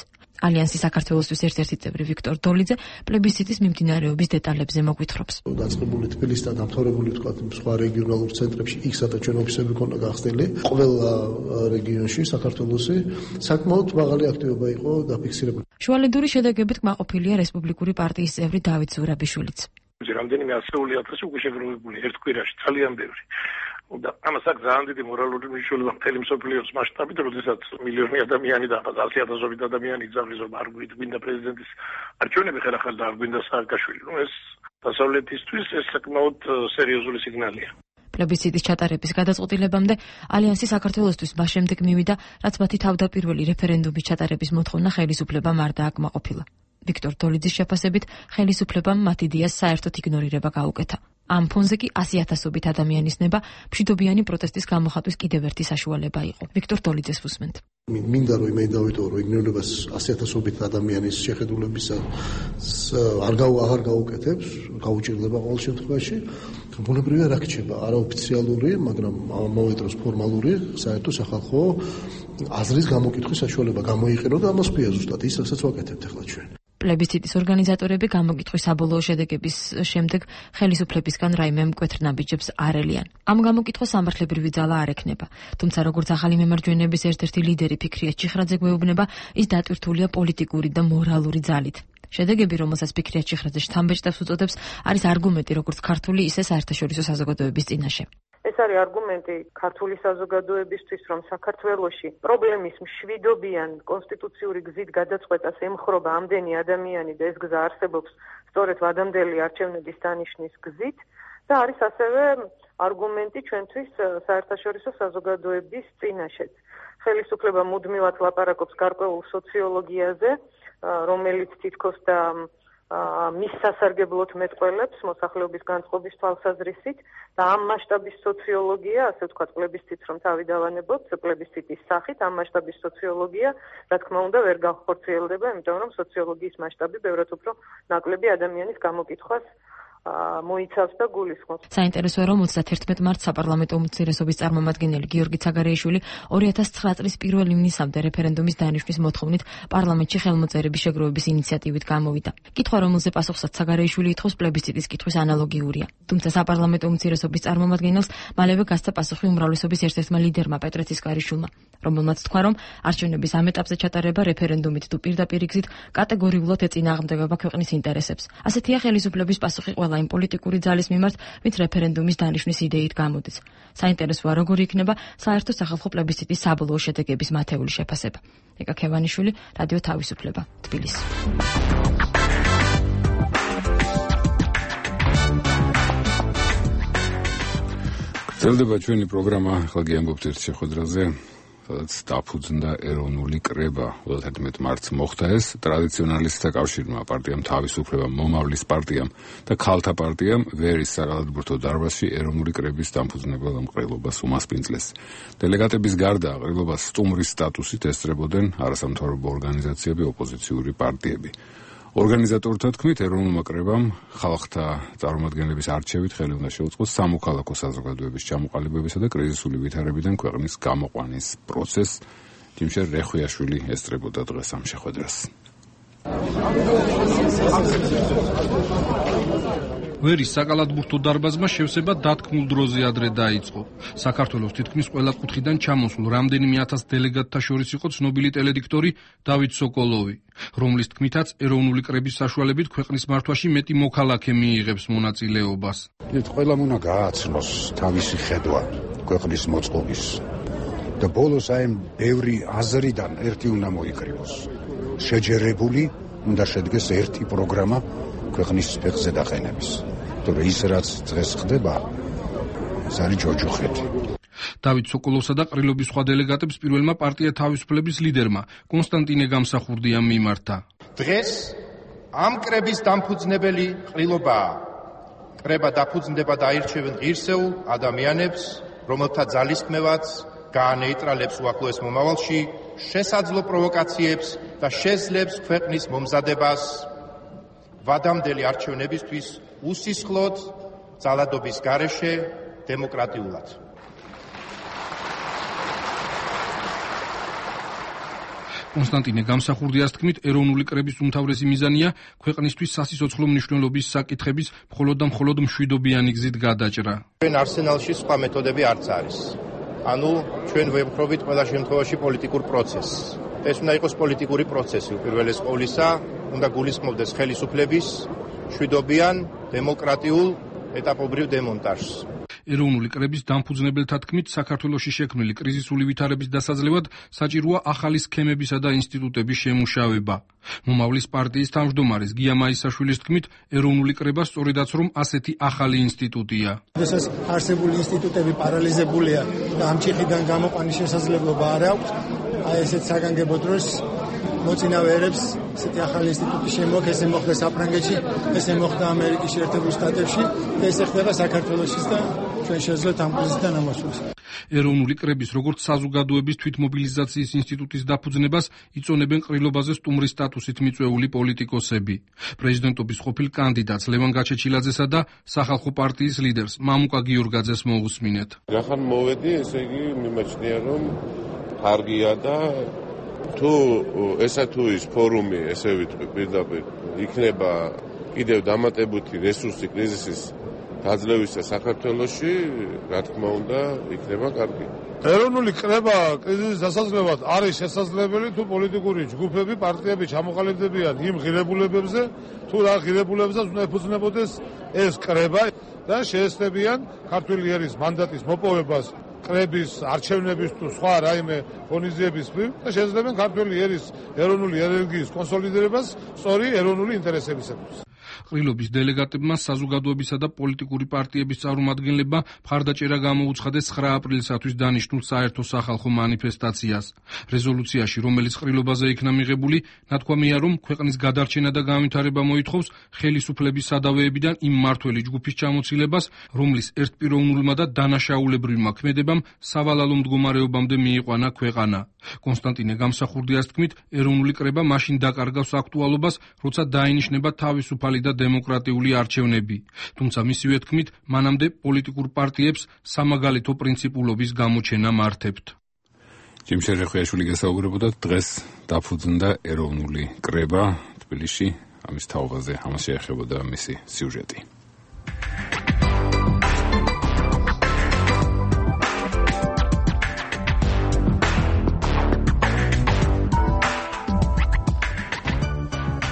ალიანსი საქართველოსთვის ერთ-ერთი წევრი ვიქტორ დოლიძე პლებისციტის მიმდინარეობის დეტალებზე მოგვითხრობს. დაწყებული თბილისში და დამთავრებული თქვა სხვა რეგიონალურ ცენტრებში იქ სადაც ჩვენ ოფისები ქონდა გახსნილი. ყველა რეგიონში საქართველოსი საკმაოდ მაღალი აქტივობა იყო დაფიქსირებული. შუალედური შედეგებით კმაყოფილია რესპუბლიკური პარტიის წევრი დავით ზურაბიშვილიც. რამდენიმე ასეული ათასი უკვე შეგროვებული ერთ კვირაში ძალიან ბევრი. და ამას აქვს ძალიან დიდი მორალური მნიშვნელობა მთელი მსოფლიოს მასშტაბით, როდესაც მილიონი ადამიანი და ათი ათასობით ადამიანი იგზავნის რომ არ გვინდა პრეზიდენტის არჩევნები ხელახალ და არ გვინდა სააკაშვილი. ნუ ეს დასავლეთისთვის ეს საკმაოდ სერიოზული სიგნალია. პლებისციტის ჩატარების გადაწყვეტილებამდე ალიანსი საქართველოსთვის მას შემდეგ მივიდა, რაც მათი თავდაპირველი რეფერენდუმის ჩატარების მოთხოვნა ხელისუფლებამ არ დააკმაყოფილა. ვიქტორ დოლიძის შეფასებით ხელისუფლებამ მათ იდეას საერთოდ იგნორირება გაუკეთა. ამ ფონზე კი ასი ათასობით ადამიანის ნება მშვიდობიანი პროტესტის გამოხატვის კიდევ ერთი საშუალება იყო. ვიქტორ დოლიძეს ვუსმენთ. მინდა რომ იმედი დავიტოვო, რომ იგნორირებას ასი ათასობით ადამიანის შეხედულებისა არ აღარ გაუკეთებს, გაუჭირდება ყოველ შემთხვევაში. ბუნებრივია რა რჩება, არაოფიციალური, მაგრამ ამავე დროს ფორმალური საერთო სახალხო აზრის გამოკითხვის საშუალება გამოიყენო და ამას ქვია ზუსტად ის, რასაც ვაკეთებთ ახლა ჩვენ. პლებისციტის ორგანიზატორები გამოკითხვის საბოლოო შედეგების შემდეგ ხელისუფლებისგან რაიმე მკვეთრ ნაბიჯებს არ ელიან. ამ გამოკითხვას სამართლებრივი ძალა არ ექნება. თუმცა როგორც ახალი მემარჯვენეების ერთ-ერთი ლიდერი ფიქრია ჭიხრაძე გვეუბნება, ის დატვირთულია პოლიტიკური და მორალური ძალით. შედეგები, რომელსაც ფიქრია ჭიხრაძე შთამბეჭდავს უწოდებს, არის არგუმენტი როგორც ქართული, ისე საერთაშორისო საზოგადოების წინაშე. ეს არის არგუმენტი ქართული საზოგადოებისთვის, რომ საქართველოში პრობლემის მშვიდობიან კონსტიტუციური გზით გადაწყვეტას ემხრობა ამდენი ადამიანი და ეს გზა არსებობს სწორედ ვადამდელი არჩევნების დანიშნის გზით და არის ასევე არგუმენტი ჩვენთვის საერთაშორისო საზოგადოების წინაშეც. ხელისუფლება მუდმივად ლაპარაკობს გარკვეულ სოციოლოგიაზე, რომელიც თითქოს და მის სასარგებლოდ მეტყველებს მოსახლეობის განწყობის თვალსაზრისით და ამ მასშტაბის სოციოლოგია, ასე ვთქვათ, პლებისციტს რომ თავი დავანებოთ, პლებისციტის სახით ამ მასშტაბის სოციოლოგია, რა თქმა უნდა, ვერ განხორციელდება, იმიტომ რომ სოციოლოგიის მასშტაბი ბევრად უფრო ნაკლები ადამიანის გამოკითხვას მოიცავს და გულისხმობს. საინტერესოა, რომ ოცდაათერთმეტ მარტს საპარლამენტო უმცირესობის წარმომადგენელი გიორგი ცაგარეიშვილი ორი ათას ცხრა წლის პირველ ივნისამდე რეფერენდუმის დანიშვნის მოთხოვნით პარლამენტში ხელმოწერების შეგროვების ინიციატივით გამოვიდა. კითხვა, რომელზე პასუხსაც ცაგარეიშვილი ითხოვს, პლებისციტის კითხვის ანალოგიურია. თუმცა საპარლამენტო უმცირესობის წარმომადგენელს მალევე გასცა პასუხი უმრავლესობის ერთ-ერთმა ლიდერმა პეტრე ცისკარიშვილმა, რომელმაც თქვა, რომ არჩევნების ამ ეტაპზე ჩატარება რეფერენდუმით თუ პირდაპირ გზით კატეგორიულად ეწინააღმდეგება ქვეყნის ინტერესებს. ასეთია ხელისუფლების პასუხი ყველა იმ პოლიტიკური ძალის მიმართ, ვინც რეფერენდუმის დანიშვნის იდეით გამოდის. საინტერესოა, როგორი იქნება საერთო სახალხო პლებისციტის საბოლოო შედეგების მათეული შეფასება. ეკა ქევანიშვილი, რადიო თავისუფლება, თბილისი. გრძელდება ჩვენი პროგრამა, ახლა გიამბობთ ერთ შეხვედრაზე, სადაც დაფუძნდა ეროვნული კრება. ოცდაათერთმეტ მარტს მოხდა ეს ტრადიციონალისტთა კავშირმა, პარტიამ თავისუფლება, მომავლის პარტიამ და ქალთა პარტიამ ვერის საგალობურთო დარბაზში ეროვნული კრების დამფუძნებელ ყრილობას უმასპინძლეს. დელეგატების გარდა ყრილობას სტუმრის სტატუსით ესწრებოდნენ არასამთავრობო ორგანიზაციები, ოპოზიციური პარტიები. ორგანიზატორთა თქმით, ეროვნულმა კრებამ ხალხთა წარმომადგენლების არჩევით ხელი უნდა შეუწყოს სამოქალაქო საზოგადოების ჩამოყალიბებისა და კრიზისული ვითარებიდან ქვეყნის გამოყვანის პროცესს. ჯიმშერ რეხვიაშვილი ესწრებოდა დღეს ამ შეხვედრას. ვერის საკალათბურთო დარბაზმა შევსება დათქმულ დროზე ადრე დაიწყო. საქართველოს თითქმის ყველა კუთხიდან ჩამოსულ რამდენიმე ათას დელეგატთა შორის იყო ცნობილი ტელედიქტორი დავით სოკოლოვი, რომლის თქმითაც ეროვნული კრების საშუალებით ქვეყნის მართვაში მეტი მოქალაქე მიიღებს მონაწილეობას. ყველამ უნდა გააცნოს თავისი ხედვა ქვეყნის მოწყობის და ბოლოს აი ბევრი აზრიდან ერთი უნდა მოიკრიბოს. შეჯერებული უნდა შედგეს ერთი პროგრამა ქვეყნის ფეხზე დაყენების. თორე ის რაც დღეს ხდება, ეს არის ჯოჯოხეთი. დავით სოკოლოვსა და ყრილობის სხვა დელეგატებს პირველმა პარტია თავისუფლების ლიდერმა კონსტანტინე გამსახურდიამ მიმართა. დღეს ამ კრების დამფუძნებელი ყრილობაა. კრება დაფუძნდება და აირჩევენ ღირსეულ ადამიანებს, რომელთა ძალისხმევაც გაანეიტრალებს უახლოეს მომავალში შესაძლო პროვოკაციებს და შეძლებს ქვეყნის მომზადებას ვადამდელი არჩევნებისთვის უსისხლოდ ძალადობის გარეშე დემოკრატიულად. კონსტანტინე გამსახურდიას თქმით, ეროვნული კრების უმთავრესი მიზანია ქვეყნისთვის სასიცოცხლო მნიშვნელობის საკითხების მხოლოდ და მხოლოდ მშვიდობიანი გზით გადაჭრა. ჩვენ არსენალში სხვა მეთოდები არც არის. ანუ ჩვენ ვებხრობით ყველა შემთხვევაში პოლიტიკურ პროცესს. ეს უნდა იყოს პოლიტიკური პროცესი, უპირველეს ყოვლისა, უნდა გულისხმობდეს ხელისუფლების მშვიდობიან, დემოკრატიულ, ეტაპობრივ დემონტაჟს. ეროვნული კრების დამფუძნებელთა თქმით, საქართველოში შექმნილი კრიზისული ვითარების დასაძლევად საჭიროა ახალი სქემებისა და ინსტიტუტების შემუშავება. მომავლის პარტიის თავმჯდომარის გია მაისაშვილის თქმით, ეროვნული კრება სწორედაც რომ ასეთი ახალი ინსტიტუტია. როდესაც არსებული ინსტიტუტები პარალიზებულია და ამ ჩიხიდან გამოყვანის შესაძლებლობა არ აქვს, აი ესეთ საგანგებო დროს მოწინავეებს ესეთი ახალი ინსტიტუტი შემოაქვს, ესე მოხდა საფრანგეთში, ესე მოხდა ამერიკის შეერთებულ შტატებში და ესე ხდება საქართველოშიც და ჩვენ შეძლოთ ამ კრიზისიდან ამოსვლას. ეროვნული კრების როგორც საზოგადოების თვითმობილიზაციის ინსტიტუტის დაფუძნებას იწონებენ ყრილობაზე სტუმრის სტატუსით მიწვეული პოლიტიკოსები. პრეზიდენტობის ყოფილ კანდიდატს ლევან გაჩეჩილაძესა და სახალხო პარტიის ლიდერს მამუკა გიორგაძეს მოусმინეთ. რახან მოვედი, ესე იგი მიმაჩნია რომ კარგია და თუ ესა თუ ის ფორუმი, ესე ვიტყვი პირდაპირ, იქნება კიდევ დამატებითი რესურსი კრიზისის გაძლევისა საქართველოში, რა თქმა უნდა, იქნება კარგი. ეროვნული კრება კრიზისის დასაძლევად არის შესაძლებელი თუ პოლიტიკური ჯგუფები, პარტიები ჩამოყალიბდებიან იმ ღირებულებებზე, თუ რა ღირებულებებსაც უნდა ეფუძნებოდეს ეს კრება და შეესწრებიან ქართული ერის მანდატის მოპოვებას კრების არჩევნების თუ სხვა რაიმე ღონისძიების მხრივ და შეძლებენ ქართული ერის ეროვნული ენერგიის კონსოლიდირებას სწორი ეროვნული ინტერესებისათვის. ყრილობის დელეგატებმა საზოგადოებისა და პოლიტიკური პარტიების წარმომადგენლებმა მხარდაჭერა გამოუცხადეს ცხრა აპრილისათვის დანიშნულ საერთო სახალხო მანიფესტაციას. რეზოლუციაში, რომელიც ყრილობაზე იქნა მიღებული, ნათქვამია, რომ ქვეყნის გადარჩენა და განვითარება მოითხოვს ხელისუფლების სადავეებიდან იმ მმართველი ჯგუფის ჩამოცილებას, რომლის ერთპიროვნულმა და დანაშაულებრივმა ქმედებამ სავალალო მდგომარეობამდე მიიყვანა ქვეყანა. კონსტანტინე გამსახურდიას თქმით, ეროვნული კრება მაშინ დაკარგავს აქტუალობას, როცა დაინიშნება თავისუფალი და დემოკრატიული არჩევნები. თუმცა მისივე თქმით, მანამდე პოლიტიკურ პარტიებს სამაგალითო პრინციპულობის გამოჩენა მართებთ. ჯიმშე რეხვიაშვილი გესაუბრებოდა, დღეს დაფუძნდა ეროვნული კრება თბილისში, ამის თაობაზე ამას შეეხებოდა მისი სიუჟეტი.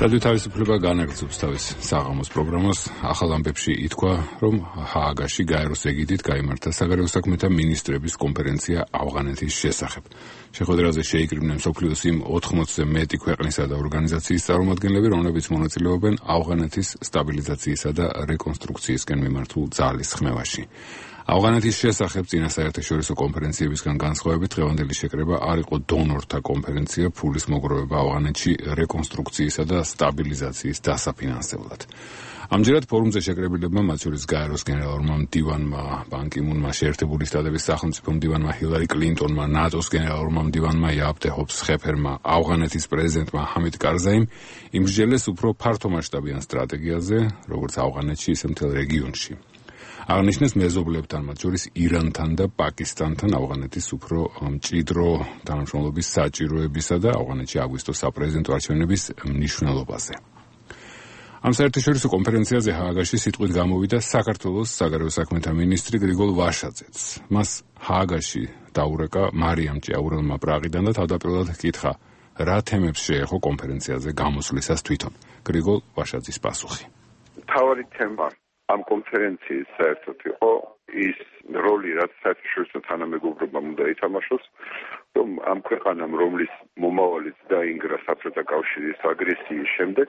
რადიო თავისუფლება განაგრძობს თავის საღამოს პროგრამას. ახალ ამბებში ითქვა, რომ ჰააგაში გაეროს ეგიდით გაიმართა საგარეო საქმეთა მინისტრების კონფერენცია ავღანეთის შესახებ. შეხვედრაზე შეიკრიბნენ მსოფლიოს იმ ოთხმოცზე მეტი ქვეყნისა და ორგანიზაციის წარმომადგენლები, რომლებიც მონაწილეობენ ავღანეთის სტაბილიზაციისა და რეკონსტრუქციისკენ მიმართულ ძალის ხმევაში. ავღანეთის შესახებ წინა საერთაშორისო კონფერენციებისგან განსხვავებით დღევანდელი შეკრება არ იყო დონორთა კონფერენცია ფულის მოგროვება ავღანეთში რეკონსტრუქციისა და სტაბილიზაციის დასაფინანსებლად. ამჯერად ფორუმზე შეკრებილებმა, მათ შორის გაეროს გენერალურმა მდივანმა ბან კი მუნმა, შეერთებული შტატების სახელმწიფო მდივანმა ჰილარი კლინტონმა, ნატოს გენერალურმა მდივანმა იაპ დე ჰოფს-ხეფერმა, ავღანეთის პრეზიდენტმა ჰამიდ კარზაიმ იმსჯელეს უფრო ფართომასშტაბიან სტრატეგიაზე, როგორც ავღანეთში, ისე მთელ რეგიონში. აღნიშნეს მეზობლებთან, მათ შორის ირანთან და პაკისტანთან ავღანეთის უფრო მჭიდრო თანამშრომლობის საჭიროებისა და ავღანეთში აგვისტოს საპრეზიდენტო არჩევნების მნიშვნელობაზე. ამ საერთაშორისო კონფერენციაზე ჰააგაში სიტყვით გამოვიდა საქართველოს საგარეო საქმეთა მინისტრი გრიგოლ ვაშაძეც. მას ჰააგაში დაურეკა მარიამ ჭიაურელმა პრაღიდან და თავდაპირველად ჰკითხა, რა თემებს შეეხო კონფერენციაზე გამოსვლისას თვითონ. გრიგოლ ვაშაძის პასუხი. მთავარი თემა ამ კონფერენციის საერთოდ იყო ის როლი, რაც საერთაშორისო თანამეგობრობამ უნდა ითამაშოს, რომ ამ ქვეყანამ, რომლის მომავალიც დაინგრა საბჭოთა კავშირის აგრესიის შემდეგ,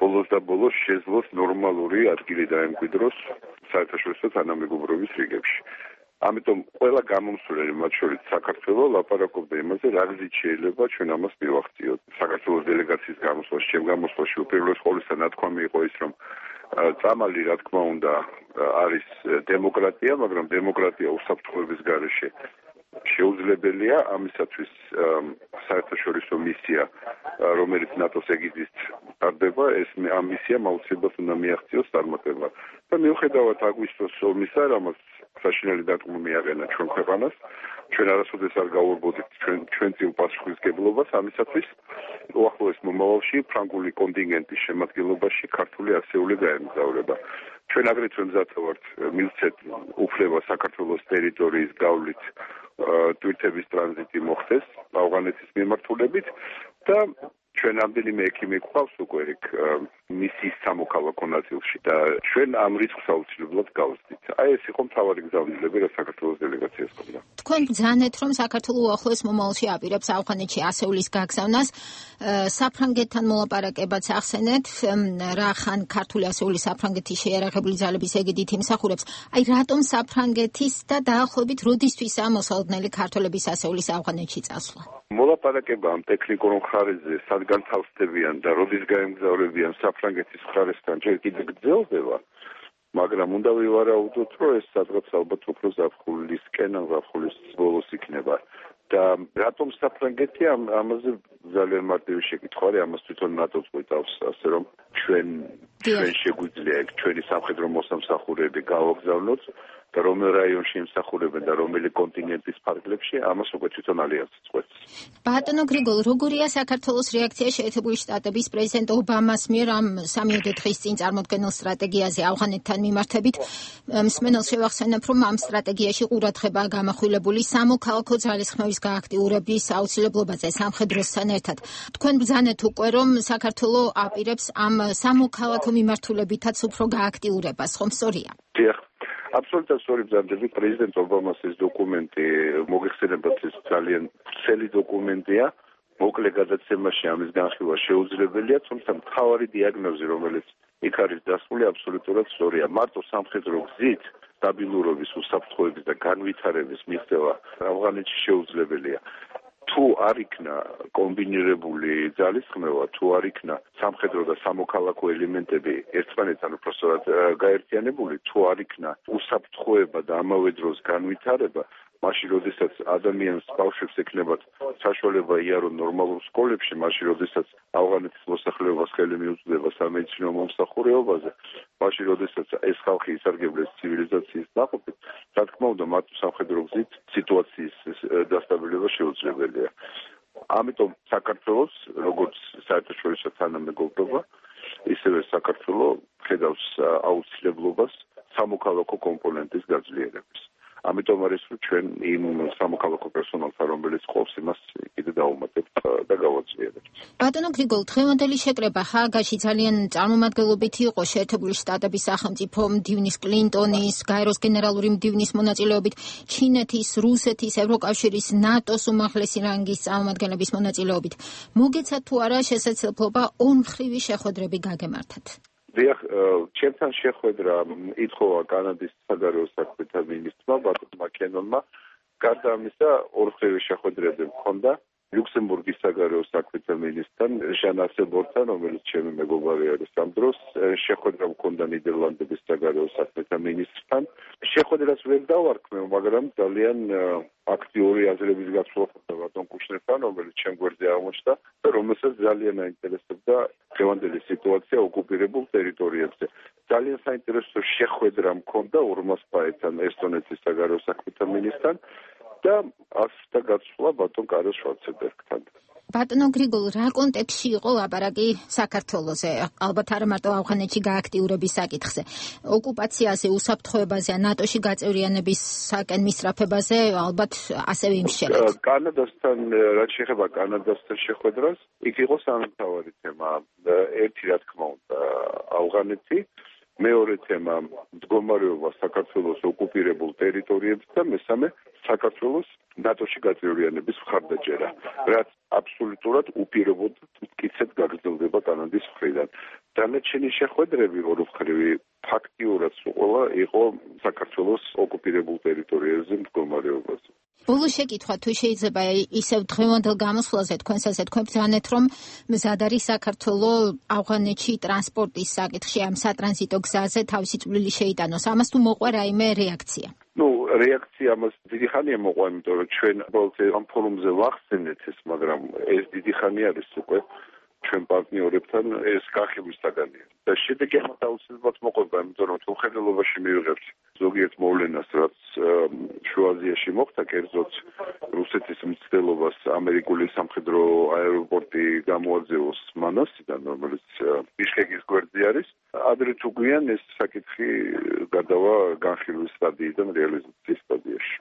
ბოლოს და ბოლოს შეძლოს ნორმალური ადგილი დაემკვიდროს საერთაშორისო თანამეგობრობის რიგებში. ამიტომ ყველა გამომსვლელი, მათ შორის საქართველო, ლაპარაკობდა იმაზე, რა გზით შეიძლება ჩვენ ამას მივახციოთ. საქართველოს დელეგაციის გამოსვლაში, ჩემ გამოსვლაში უპირველეს ყოვლისა ნათქვამი იყო ის, რომ წამალი, რა თქმა უნდა, არის დემოკრატია, მაგრამ დემოკრატია უსაფრთხოების გარეშე შეუძლებელია. ამისათვის საერთაშორისო მისია, რომელიც ნატოს ეგიდით ტარდება, ეს ამ მისიამ აუცილებლად უნდა მიაღწიოს წარმატება. და მიუხედავად აგვისტოს ომისა, რამაც საშინელი დარტყმა მიაყენა ჩვენ ქვეყანას, ჩვენ არასოდეს არ გავურბოდით ჩვენ ჩვენ წილ პასუხისმგებლობას ამისათვის, უახლოეს მომავალში ფრანგული კონტინგენტის შემადგენლობაში ქართული ასეული გაემგზავრება. ჩვენ აგრეთვე მზად ვართ მივცეთ უფლება საქართველოს ტერიტორიის გავლით ტვირთების ტრანზიტი მოხდეს ავღანეთის მიმართულებით და ჩვენ ამდენიმე ექიმი გვყავს უკვე ეგ მისიის სამოქალაქო ნაწილში და ჩვენ ამ რისკს აუცილებლად გავსდით. აი ეს იყო მთავარი გზავნილები, რა საქართველოს დელეგაციას ჰქონდა. თქვენ ბრძანეთ, რომ საქართველო უახლოეს მომავალში აპირებს ავღანეთში ასეულის გაგზავნას, საფრანგეთთან მოლაპარაკებაც ახსენეთ, რა ხან ქართული ასეული საფრანგეთის შეიარაღებული ძალების ეგიდით იმსახურებს. აი რატომ საფრანგეთის და დაახლოებით როდისთვისაა მოსალოდნელი ქართველების ასეულის ავღანეთში წასვლა? მოლაპარაკება ამ ტექნიკურ მხარეზე სადგან თავსდებიან და როდის გაემგზავრებიან საფრანგეთის მხარესთან ჯერ კიდევ გრძელდება, მაგრამ უნდა ვივარაუდოთ, რომ ეს სადღაც ალბათ უფრო ზაფხულისკენ ან ზაფხულის ბოლოს იქნება. და რატომ საფრანგეთი ამ ამაზე ძალიან მარტივი შეკითხვა არის, ამას თვითონ ნატოს გვიტავს, ასე რომ ჩვენ ჩვენ შეგვიძლია ეგ ჩვენი სამხედრო მოსამსახურეები გავაგზავნოთ და რომელ რაიონში იმსახურებენ და რომელი კონტინენტის ფარგლებში, ამას უკვე თვითონ ალიანსი წყვეტს. ბატონო გრიგოლ, როგორია საქართველოს რეაქცია შეერთებული შტატების პრეზიდენტ ობამას მიერ ამ სამიოდე დღის წინ წარმოქმნილ სტრატეგიაზე ავღანეთთან მიმართებით? მსმენელს შევახსენებ, რომ ამ სტრატეგიაში ყურადღებაა გამახვილებული სამოქალაქო ძალისხმევის გააქტიურების აუცილებლობაზე სამხედროსთან ერთად. თქვენ ბრძანეთ უკვე, რომ საქართველო აპირებს ამ სამოქალაქო მიმართულებითაც უფრო გააქტიურებას, ხომ სწორია? დიახ. აბსოლუტურად სწორი ბრძანდები. პრეზიდენტ ობამას ეს დოკუმენტი მოგეხსენებათ, ეს ძალიან ვრცელი დოკუმენტია. მოკლე გადაცემაში ამის განხილვა შეუძლებელია, თუმცა მთავარი დიაგნოზი, რომელიც იქ არის დასმული, აბსოლუტურად სწორია. მარტო სამხედრო გზით სტაბილურობის, უსაფრთხოების და განვითარების მიღწევა ავღანეთში შეუძლებელია. თუ არ იქნა კომბინირებული ძალისხმევა, თუ არ იქნა სამხედრო და სამოქალაქო ელემენტები ერთმანეთთან უბრალოდ გაერთიანებული, თუ არ იქნა უსაფრთხოება და ამავე დროს განვითარება, მაშინ როდესაც ადამიანს ბავშვებს ექნებათ საშუალება იარონ ნორმალურ სკოლებში, მაშინ როდესაც ავღანეთის მოსახლეობას ხელი მიუწვდება სამედიცინო მომსახურებაზე, მაშინ როდესაც ეს ხალხი ისარგებლეს ცივილიზაციის ნაყოფით, რა თქმა უნდა, მათ სამხედრო გზით სიტუაციის დასტაბილურება შეუძლებელია. ამიტომ საქართველოს, როგორც საერთაშორისო თანამეგობრობა, ისევე საქართველო ხედავს აუცილებლობას სამოქალაქო კომპონენტის გაძლიერების. ამიტომ არის რომ ჩვენ იმ სამოქალაქო პერსონალთან, რომელიც ყავს, იმას კიდე დავუმატებთ და გავაძლიერებთ. ბატონო გრიგოლ, დღევანდელი შეკრება ჰააგაში ძალიან წარმომადგენლობითი იყო შეერთებული შტატების სახელმწიფო მდივნის კლინტონის, გაეროს გენერალური მდივნის მონაწილეობით, ჩინეთის, რუსეთის, ევროკავშირის, ნატოს უმაღლესი რანგის წარმომადგენლების მონაწილეობით. მოგეცათ თუ არა შესაძლებლობა ორმხრივი შეხვედრები გაგემართათ? დიახ, ჩემთან შეხვედრა ითხოვა კანადის საგარეო საქმეთა მინისტრმა ბატონმა კენონმა. გარდა ამისა, ორმხრივი შეხვედრები მქონდა ლუქსემბურგის საგარეო საქმეთა მინისტრთან, ჟან ასელბორნთან, რომელიც ჩემი მეგობარი არის ამ დროს. შეხვედრა მქონდა ნიდერლანდების საგარეო საქმეთა მინისტრთან. შეხვედრას ვერ დავარქმევ, მაგრამ ძალიან აქტიური აზრების გაცვლა ხდება ბატონ კუშნერთან, რომელიც ჩემ გვერდზე აღმოჩნდა და რომელსაც ძალიან აინტერესებდა დღევანდელი სიტუაცია ოკუპირებულ ტერიტორიებზე. ძალიან საინტერესო შეხვედრა მქონდა ურმას პაეთან, ესტონეთის საგარეო საქმეთა მინისტრთან და ასთა გაცვლა ბატონ კარლ შვარცენბერგთან. ბატონო გრიგოლ, რა კონტექსტში იყო ლაპარაკი საქართველოზე? ალბათ არა მარტო ავღანეთში გააქტიურების საკითხზე. ოკუპაციაზე, უსაფრთხოებაზე, ნატოში გაწევრიანებისაკენ მისწრაფებაზე ალბათ ასევე იმსჯელეთ. კანადასთან, რაც შეეხება კანადასთან შეხვედრას, იქ იყო სამთავარი თემა. ერთი, რა თქმა უნდა, ავღანეთი, მეორე თემა მდგომარეობა საქართველოს ოკუპირებულ ტერიტორიებზე და მესამე საქართველოს ნატოში გაწევრიანების მხარდაჭერა, რაც აბსოლუტურად უპირობოდ მტკიცედ გაგრძელდება კანადის მხრიდან. დანარჩენი შეხვედრები ორმხრივი ფაქტიურად ყველა იყო საქართველოს ოკუპირებულ ტერიტორიებზე მდგომარეობაზე. ბოლო შეკითხვა, თუ შეიძლება ისევ დღევანდელ გამოსვლაზე თქვენსაზე თქვენ ბრძანეთ, რომ მზად არის საქართველო ავღანეთში ტრანსპორტის საკითხში ამ სატრანზიტო გზაზე თავისი წვლილი შეიტანოს. ამას თუ მოყვა რაიმე რეაქცია? ნუ რეაქცია ამას დიდი ხანია მოყვა, იმიტომ რომ ჩვენ უბრალოდ ამ ფორუმზე ვახსენეთ ეს, მაგრამ ეს დიდი ხანი არის უკვე. ჩვენ პარტნიორებთან ეს განხილვის საგანია. და შედეგი ამათ აუცილებლად მოყვება, იმიტომ რომ თულხედელობაში მივიღებთ ზოგიერთ მოვლენას, რაც შუა აზიაში მოხდა, კერძოდ რუსეთის მცდელობას ამერიკული სამხედრო აეროპორტი გამოაძევოს მანასიდან, რომელიც ბიშკეკის გვერდზე არის. ადრე თუ გვიან ეს საკითხი გადავა განხილვის სტადიიდან რეალიზაციის სტადიაში.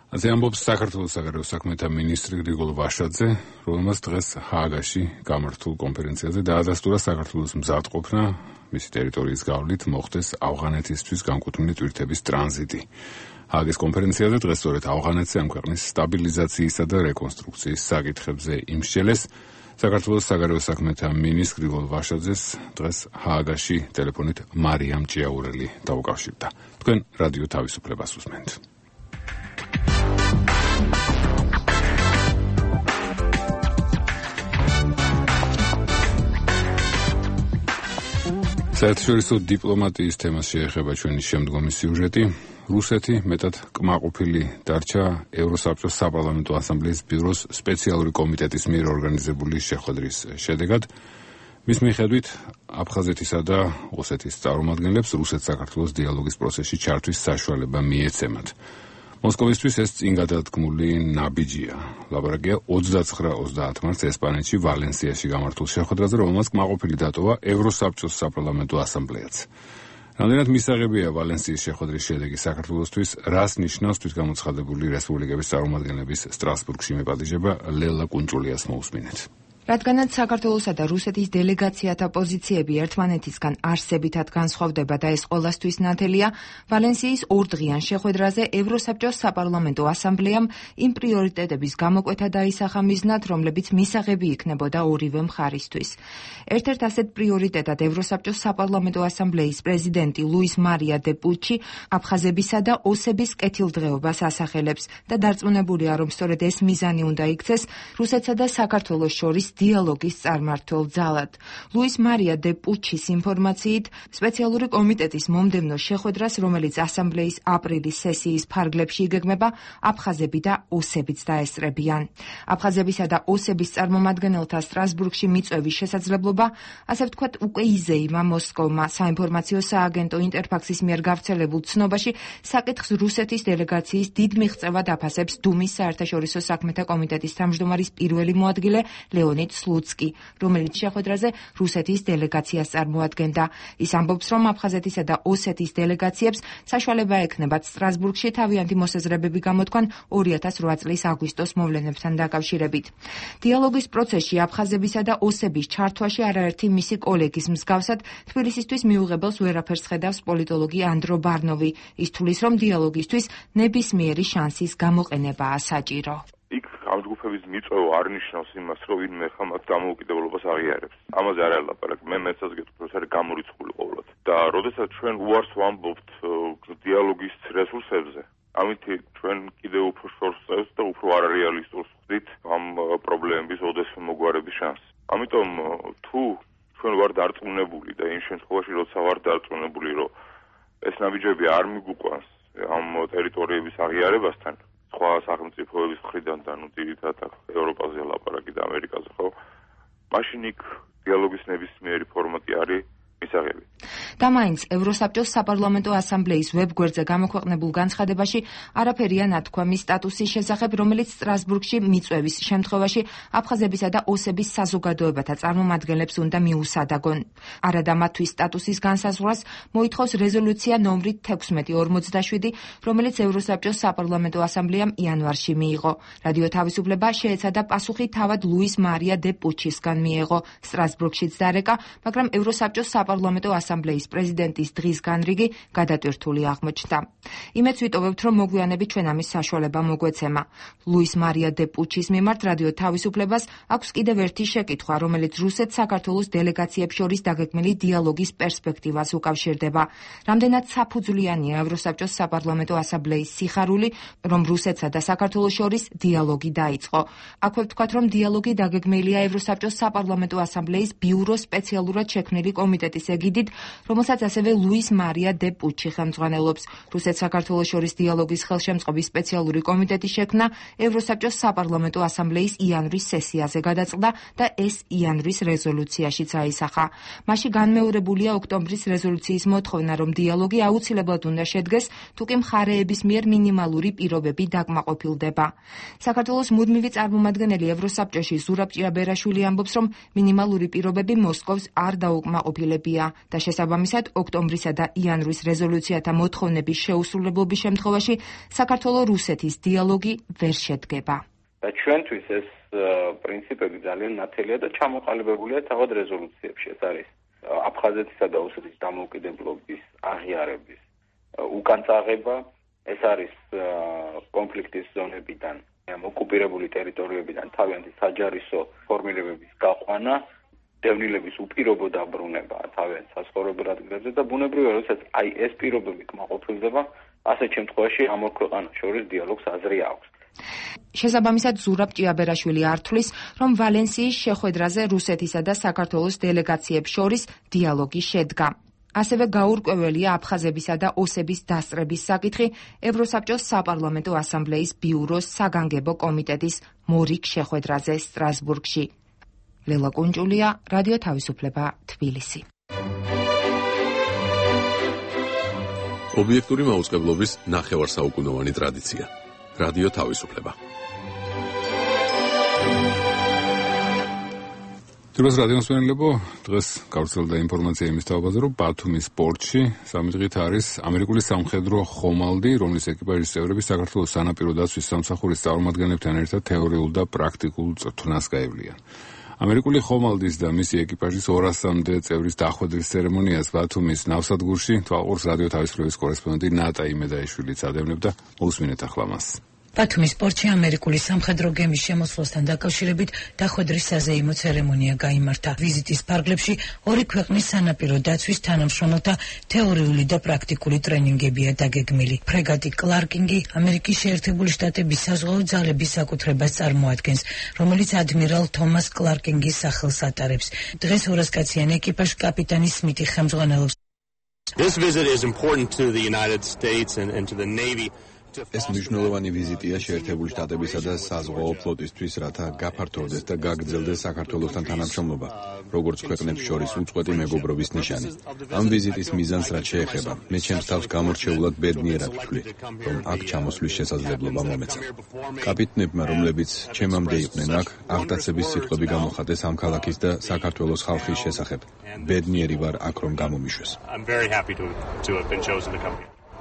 ასე ამბობს საქართველოს საგარეო საქმეთა მინისტრი გრიგოლ ვაშაძე, რომელმაც დღეს ჰააგაში გამართულ კონფერენციაზე დაადასტურა საქართველოს მზადყოფნა მისი ტერიტორიის გავლით მოხდეს ავღანეთისთვის განკუთვნილი ტვირთების ტრანზიტი. ჰააგის კონფერენციაზე დღეს სწორედ ავღანეთზე ამ ქვეყნის სტაბილიზაციისა და რეკონსტრუქციის საკითხებზე იმსჯელეს. საქართველოს საგარეო საქმეთა მინისტრ გრიგოლ ვაშაძეს დღეს ჰააგაში ტელეფონით მარიამ ჭიაურელი დაუკავშირდა. თქვენ რადიო თავისუფლებას უსმენთ. საერთაშორისო დიპლომატიის თემას შეეხება ჩვენი შემდგომი სიუჟეტი. რუსეთი მეტად კმაყოფილი დარჩა ევროსაბჭოს საპარლამენტო ასამბლეის ბიუროს სპეციალური კომიტეტის მიერ ორგანიზებული შეხვედრის შედეგად. მის მიხედვით აფხაზეთისა და ოსეთის წარმომადგენლებს რუსეთ-საქართველოს დიალოგის პროცესში ჩართვის საშუალება მიეცემათ. მოსკოვისთვის ეს წინ გადადგმული ნაბიჯია. ლაბორაკია ოცდაცხრა ოცდაათ მარტს ესპანეთში ვალენსიაში გამართულ შეხვედრაზე, რომელმაც კმაყოფილი დატოვა ევროსაბჭოს საპარლამენტო ასამბლეაც. რამდენად მისაღებია ვალენსიის შეხვედრის შედეგი საქართველოსთვის, რას ნიშნავს თვითგამოცხადებული რესპუბლიკების წარმომადგენლების სტრასბურგში მეპატიჟება, ლელა კუნჭულიას მოусმინეთ. რადგანაც საქართველოსა და რუსეთის დელეგაციათა პოზიციები ერთმანეთისგან არსებითად განსხვავდება და ეს ყველასთვის ნათელია, ვალენსიის ორდღიან შეხვედრაზე ევროსაბჭოს საპარლამენტო ასამბლეამ იმ პრიორიტეტების გამოკვეთა დაისახა მიზნად, რომლებიც მისაღები იქნებოდა ორივე მხარისთვის. ერთ-ერთ ასეთ პრიორიტეტად ევროსაბჭოს საპარლამენტო ასამბლეის პრეზიდენტი ლუის მარია დე პუჩი აფხაზებისა და ოსების კეთილდღეობას ასახელებს და დარწმუნებულია, რომ სწორედ ეს მიზანი უნდა იქცეს რუსეთსა და საქართველოს შორის დიალოგის წარმმართველ ძალად. ლუის მარია დე პუჩის ინფორმაციით, სპეციალური კომიტეტის მომდევნო შეხვედრას, რომელიც ასამბლეის აპრილის სესიის ფარგლებში იგეგმება, აფხაზები და ოსებიც დაესწრებიან. აფხაზებისა და ოსების წარმომადგენელთა სტრასბურგში მიწვევის შესაძლებლობა, ასე ვთქვათ, უკვე იზეიმა მოსკოვმა. საინფორმაციო სააგენტო ინტერფაქსის მიერ გავრცელებულ ცნობაში საკითხს რუსეთის დელეგაციის დიდ მიღწევად აფასებს დუმის საერთაშორისო საქმეთა კომიტეტის თავმჯდომარის პირველი მოადგილე ლეონიდ სლუცკი, რომელიც შეხვედრაზე რუსეთის დელეგაციას წარმოადგენდა. ის ამბობს, რომ აფხაზეთისა და ოსეთის დელეგაციებს საშუალება ექნებათ სტრასბურგში თავიანთი მოსაზრებები გამოთქვან ორი ათას ორი წლის აგვისტოს მოვლენებთან დაკავშირებით. დიალოგის პროცესში აფხაზებისა და ოსების ჩართვაში არაერთი მისი კოლეგის მსგავსად თბილისისთვის მიუღებელს ვერაფერს ხედავს პოლიტოლოგი ანდრო ბარნოვი. ის თვლის, რომ დიალოგისთვის ნებისმიერი შანსის გამოყენებაა საჭირო. იქ ამ ჯგუფების მიწვევა არ ნიშნავს იმას, რომ ვინმე ხამად დამოუკიდებლობას აღიარებს. ამაზე არ ელაპარაკ. მე მეცაც გეტყვი, რომ არის გამორიცხული ყოველად. და როდესაც ჩვენ უარს ვამბობთ დიალოგის რესურსებზე, ამით ჩვენ კიდევ უფრო შორს წევს და უფრო არარეალისტურს ვხდით ამ პრობლემების ოდესმე მოგვარების შანსს. ამიტომ თუ ჩვენ ვარ დარწმუნებული და იმ შემთხვევაში, როცა ვარ დარწმუნებული, რომ ეს ნაბიჯები არ მიგუყვანს ამ ტერიტორიების აღიარებასთან, სხვა სახელმწიფოების მხრიდან და ნუ ძირითადად ევროპაზე ლაპარაკი და ამერიკაზე ხო, მაშინ იქ დიალოგის ნებისმიერი ფორმატი არის მისაღები. და მაინც ევროსაბჭოს საპარლამენტო ასამბლეის ვებგვერდზე გამოქვეყნებულ განცხადებაში არაფერია ნათქვამი სტატუსის შესახებ, რომელიც სტრასბურგში მიწვევის შემთხვევაში აფხაზებისა და ოსების საზოგადოებათა წარმომადგენლებს უნდა მიუსადაგონ. არადა მათთვის სტატუსის განსაზღვრას მოითხოვს რეზოლუცია ნომრით თექვსმეტი ორმოცდაშვიდი, რომელიც ევროსაბჭოს საპარლამენტო ასამბლეამ იანვარში მიიღო. რადიო თავისუფლება შეეცადა პასუხი თავად ლუის მარია დე პუჩისგან მიიღო. სტრასბურგშიც დარეკა, მაგრამ ევროსაბჭოს საპარლამენტო ასამბლეის პრეზიდენტის დღის განრიგი გადატვირთული აღმოჩნდა. იმეც ვიტოვებთ, რომ მოგვიანებით ჩვენ ამის საშუალება მოგვეცემა. ლუის მარია დე პუჩის მიმართ რადიო თავისუფლებას აქვს კიდევ ერთი შეკითხვა, რომელიც რუსეთ-საქართველოს დელეგაციებს შორის დაგეგმილი დიალოგის პერსპექტივას უკავშირდება. რამდენად საფუძვლიანია ევროსაბჭოს საპარლამენტო ასამბლეის სიხარული, რომ რუსეთსა და საქართველოს შორის დიალოგი დაიწყო. აქვე ვთქვათ, რომ დიალოგი დაგეგმილია ევროსაბჭოს საპარლამენტო ასამბლეის ბიუროს სპეციალურად შექმნილი კომიტეტის ეგიდით, რომელსაც ასევე ლუის მარია დე პუჩი ხელმძღვანელობს. რუსეთ-საქართველოს შორის დიალოგის ხელშემწყობის სპეციალური კომიტეტი შექმნა ევროსაბჭოს საპარლამენტო ასამბლეის იანვრის სესიაზე გადაწყდა და ეს იანვრის რეზოლუციაშიც აისახა. მასში განმეორებულია ოქტომბრის რეზოლუციის მოთხოვნა, რომ დიალოგი აუცილებლად უნდა შედგეს, თუკი მხარეების მიერ მინიმალური პირობები დაკმაყოფილდება. საქართველოს მუდმივი წარმომადგენელი ევროსაბჭოში ზურაბ ჭიაბერაშვილი ამბობს, რომ მინიმალური პირობები მოსკოვს არ დაუკმაყოფილებია და შესაბამისად ოქტომბრისა და იანვრის რეზოლუციათა მოთხოვნების შეუსრულებლობის შემთხვევაში საქართველო-რუსეთის დიალოგი ვერ შედგება. და ჩვენთვის ეს პრინციპები ძალიან ნათელია და ჩამოყალიბებულია თავად რეზოლუციებში. ეს არის აფხაზეთისა და ოსეთის დამოუკიდებლობის აღიარების უკან წაღება, ეს არის კონფლიქტის ზონებიდან, ოკუპირებული ტერიტორიებიდან თავიანთი საჯარისო ფორმირებების გაყვანა, დევნილების უპირობო დაბრუნება თავიანთ საცხოვრებელ ადგილებზე და ბუნებრივია, როდესაც აი ეს პირობები კმაყოფილდება, ასეთ შემთხვევაში ამ ორ ქვეყანას შორის დიალოგს აზრი აქვს. შესაბამისად ზურაბ ჭიაბერაშვილი ართვლის, რომ ვალენსიის შეხვედრაზე რუსეთისა და საქართველოს დელეგაციებს შორის დიალოგი შედგა. ასევე გაურკვეველია აფხაზებისა და ოსების დასწრების საკითხი ევროსაბჭოს საპარლამენტო ასამბლეის ბიუროს საგანგებო კომიტეტის მორიგ შეხვედრაზე სტრასბურგში. ლელა კუნჭულია, რადიო თავისუფლება, თბილისი. ობიექტური მაუწყებლობის ნახევარსაუკუნოვანი ტრადიცია. რადიო თავისუფლება. Დროს რადიოსმენელებო, დღეს გავრცელდა ინფორმაცია იმის თაობაზე, რომ ბათუმის პორტში სამი დღით არის ამერიკული სამხედრო ხომალდი, რომლის ეკიპაჟის წევრები საქართველოს სანაპირო დაცვის სამსახურის წარმომადგენლებთან ერთად თეორიულ და პრაქტიკულ წვრთნას გაევლიან. ამერიკული ხომალდის და მისი ეკიპაჟის ორასამდე წევრის დახვედრის ცერემონიას ბათუმის ნავსადგურში თვალყურს რადიო თავისუფლების კორესპონდენტი ნატა იმედაიშვილიც ადევნებდა. მოусმინეთ ახლა მას. ბათუმის პორტში ამერიკული სამხედრო გემის შემოსვლასთან დაკავშირებით დახვედრის საზეიმო ცერემონია გაიმართა. ვიზიტის ფარგლებში ორი ქვეყნის სანაპირო დაცვის თანამშრომელთა თეორიული და პრაქტიკული ტრენინგებია დაგეგმილი. ფრეგატი კლარკინგი ამერიკის შეერთებული შტატების საზღვაო ძალების საკუთრებას წარმოადგენს, რომელიც ადმირალ თომას კლარკინგის სახელს ატარებს. დღეს ორასკაციან ეკიპაჟს კაპიტანი სმითი ხელმძღვანელობს. This visit is important to the United States and, and to the Navy. ეს მნიშვნელოვანი ვიზიტია შეერთებული შტატებისა და საზღვაო ფლოტისთვის, რათა გაფართოვდეს და გაგრძელდეს საქართველოსთან თანამშრომლობა, როგორც ქვეყნებს შორის უწყვეტი მეგობრობის ნიშანი. ამ ვიზიტის მიზანს რაც შეეხება, მე ჩემს თავს გამორჩეულად ბედნიერად ვთვლი, რომ აქ ჩამოსვლის შესაძლებლობა მომეცა. კაპიტნებმა, რომლებიც ჩემამდე იყვნენ აქ, აღტაცების სიტყვები გამოხატეს ამ ქალაქის და საქართველოს ხალხის შესახებ. ბედნიერი ვარ აქ რომ გამომიშვეს.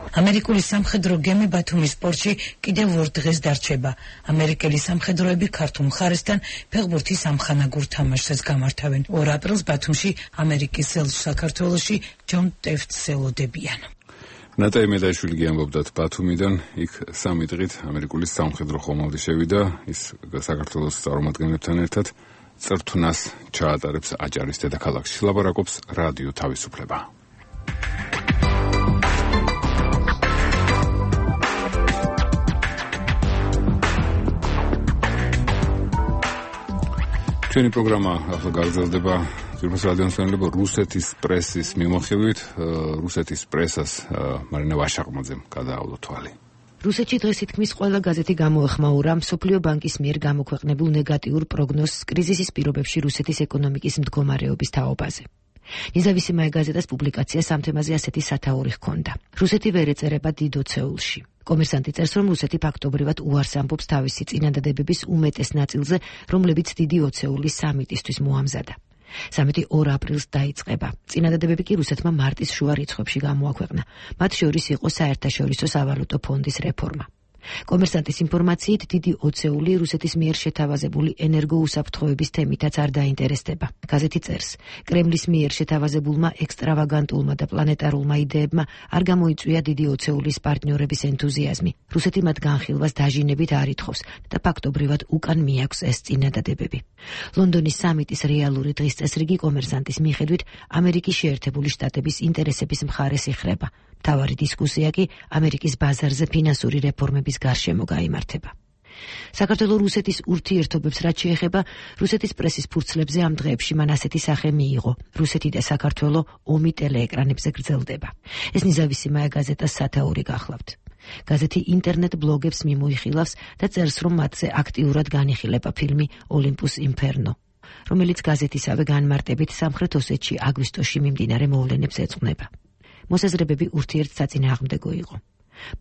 ამერიკული სამხედრო გემი ბათუმის პორტში კიდევ ორ დღეს დარჩება. ამერიკელი სამხედროები ქართულ მხარესთან ფეხბურთის ამხანაგურ თამაშს გამართავენ. ორ აპრილს ბათუმში ამერიკის ელჩს საქართველოში ჯონ ტეფტს ელოდებიან. ნატა იმედაიშვილი გიამბობდათ ბათუმიდან, იქ სამი დღით ამერიკული სამხედრო ხომალდი შევიდა, ის საქართველოს წარმომადგენლებთან ერთად წვრთნას ჩაატარებს აჭარის დედაქალაქში. ლაპარაკობს რადიო თავისუფლება. ჩვენი პროგრამა ახლა გაგრძელდება ძირფას რადიოსმენელებო რუსეთის პრესის მიმოხილვით. რუსეთის პრესას მარინა ვაშაყმაძემ გადაავლო თვალი. რუსეთში დღეს თითქმის ყველა გაზეთი გამოეხმაურა მსოფლიო ბანკის მიერ გამოქვეყნებულ ნეგატიურ პროგნოზს კრიზისის პირობებში რუსეთის ეკონომიკის მდგომარეობის თაობაზე. ნეზავისიმაია გაზეტას პუბლიკაციას ამ თემაზე ასეთი სათაური ჰქონდა. რუსეთი ვერ ეწერება დიდ ოცეულში. კომერსანტი წერს, რომ რუსეთი ფაქტობრივად უარს ამბობს თავისი წინადადებების უმეტეს ნაწილზე, რომლებიც დიდი ოცეულის სამიტისთვის მოამზადა. სამიტი ორ აპრილს დაიწყება. წინადადებები კი რუსეთმა მარტის შუა რიცხვებში გამოაქვეყნა. მათ შორის იყო საერთაშორისო სავალუტო ფონდის რეფორმა. კომერსანტის ინფორმაციით დიდი ოცეული რუსეთის მიერ შეთავაზებული ენერგოუსაფრთხოების თემითაც არ დაინტერესდება. გაზეთი წერს, კრემლის მიერ შეთავაზებულმა ექსტრავაგანტულმა და პლანეტარულმა იდეებმა არ გამოიწვია დიდი ოცეულის პარტნიორების ენთუზიაზმი. რუსეთი მათ განხილვას დაჟინებით არ ითხოვს და ფაქტობრივად უკან მიაქვს ეს წინადადებები. ლონდონის სამიტის რეალური დღის წესრიგი კომერსანტის მიხედვით ამერიკის შეერთებული შტატების ინტერესების მხარეს იხრება. მთავარი დისკუსია კი ამერიკის ბაზარზე ფინანსური რეფორმების გარშემო გაიმართება. საქართველოს რუსეთის ურთიერთობებს რაც შეეხება, რუსეთის პრესის ფურცლებზე ამ დღეებში მან ასეთი სახე მიიღო: რუსეთი და საქართველო ომი ტელეეკრანებზე გრძელდება. ეს ნიზავისიმაია გაზეტას სათაური გახლავთ. გაზეთი ინტერნეტ ბლოგებს მიმოიხილავს და წერს, რომ მათზე აქტიურად განიხილება ფილმი ოლიმპუს ინფერნო, რომელიც გაზეთისავე განმარტებით სამხრეთ ოსეთში აგვისტოში მიმდინარე მოვლენებს ეძღვნება. მოსაზრებები ურთიერთსაწინააღმდეგო იყო.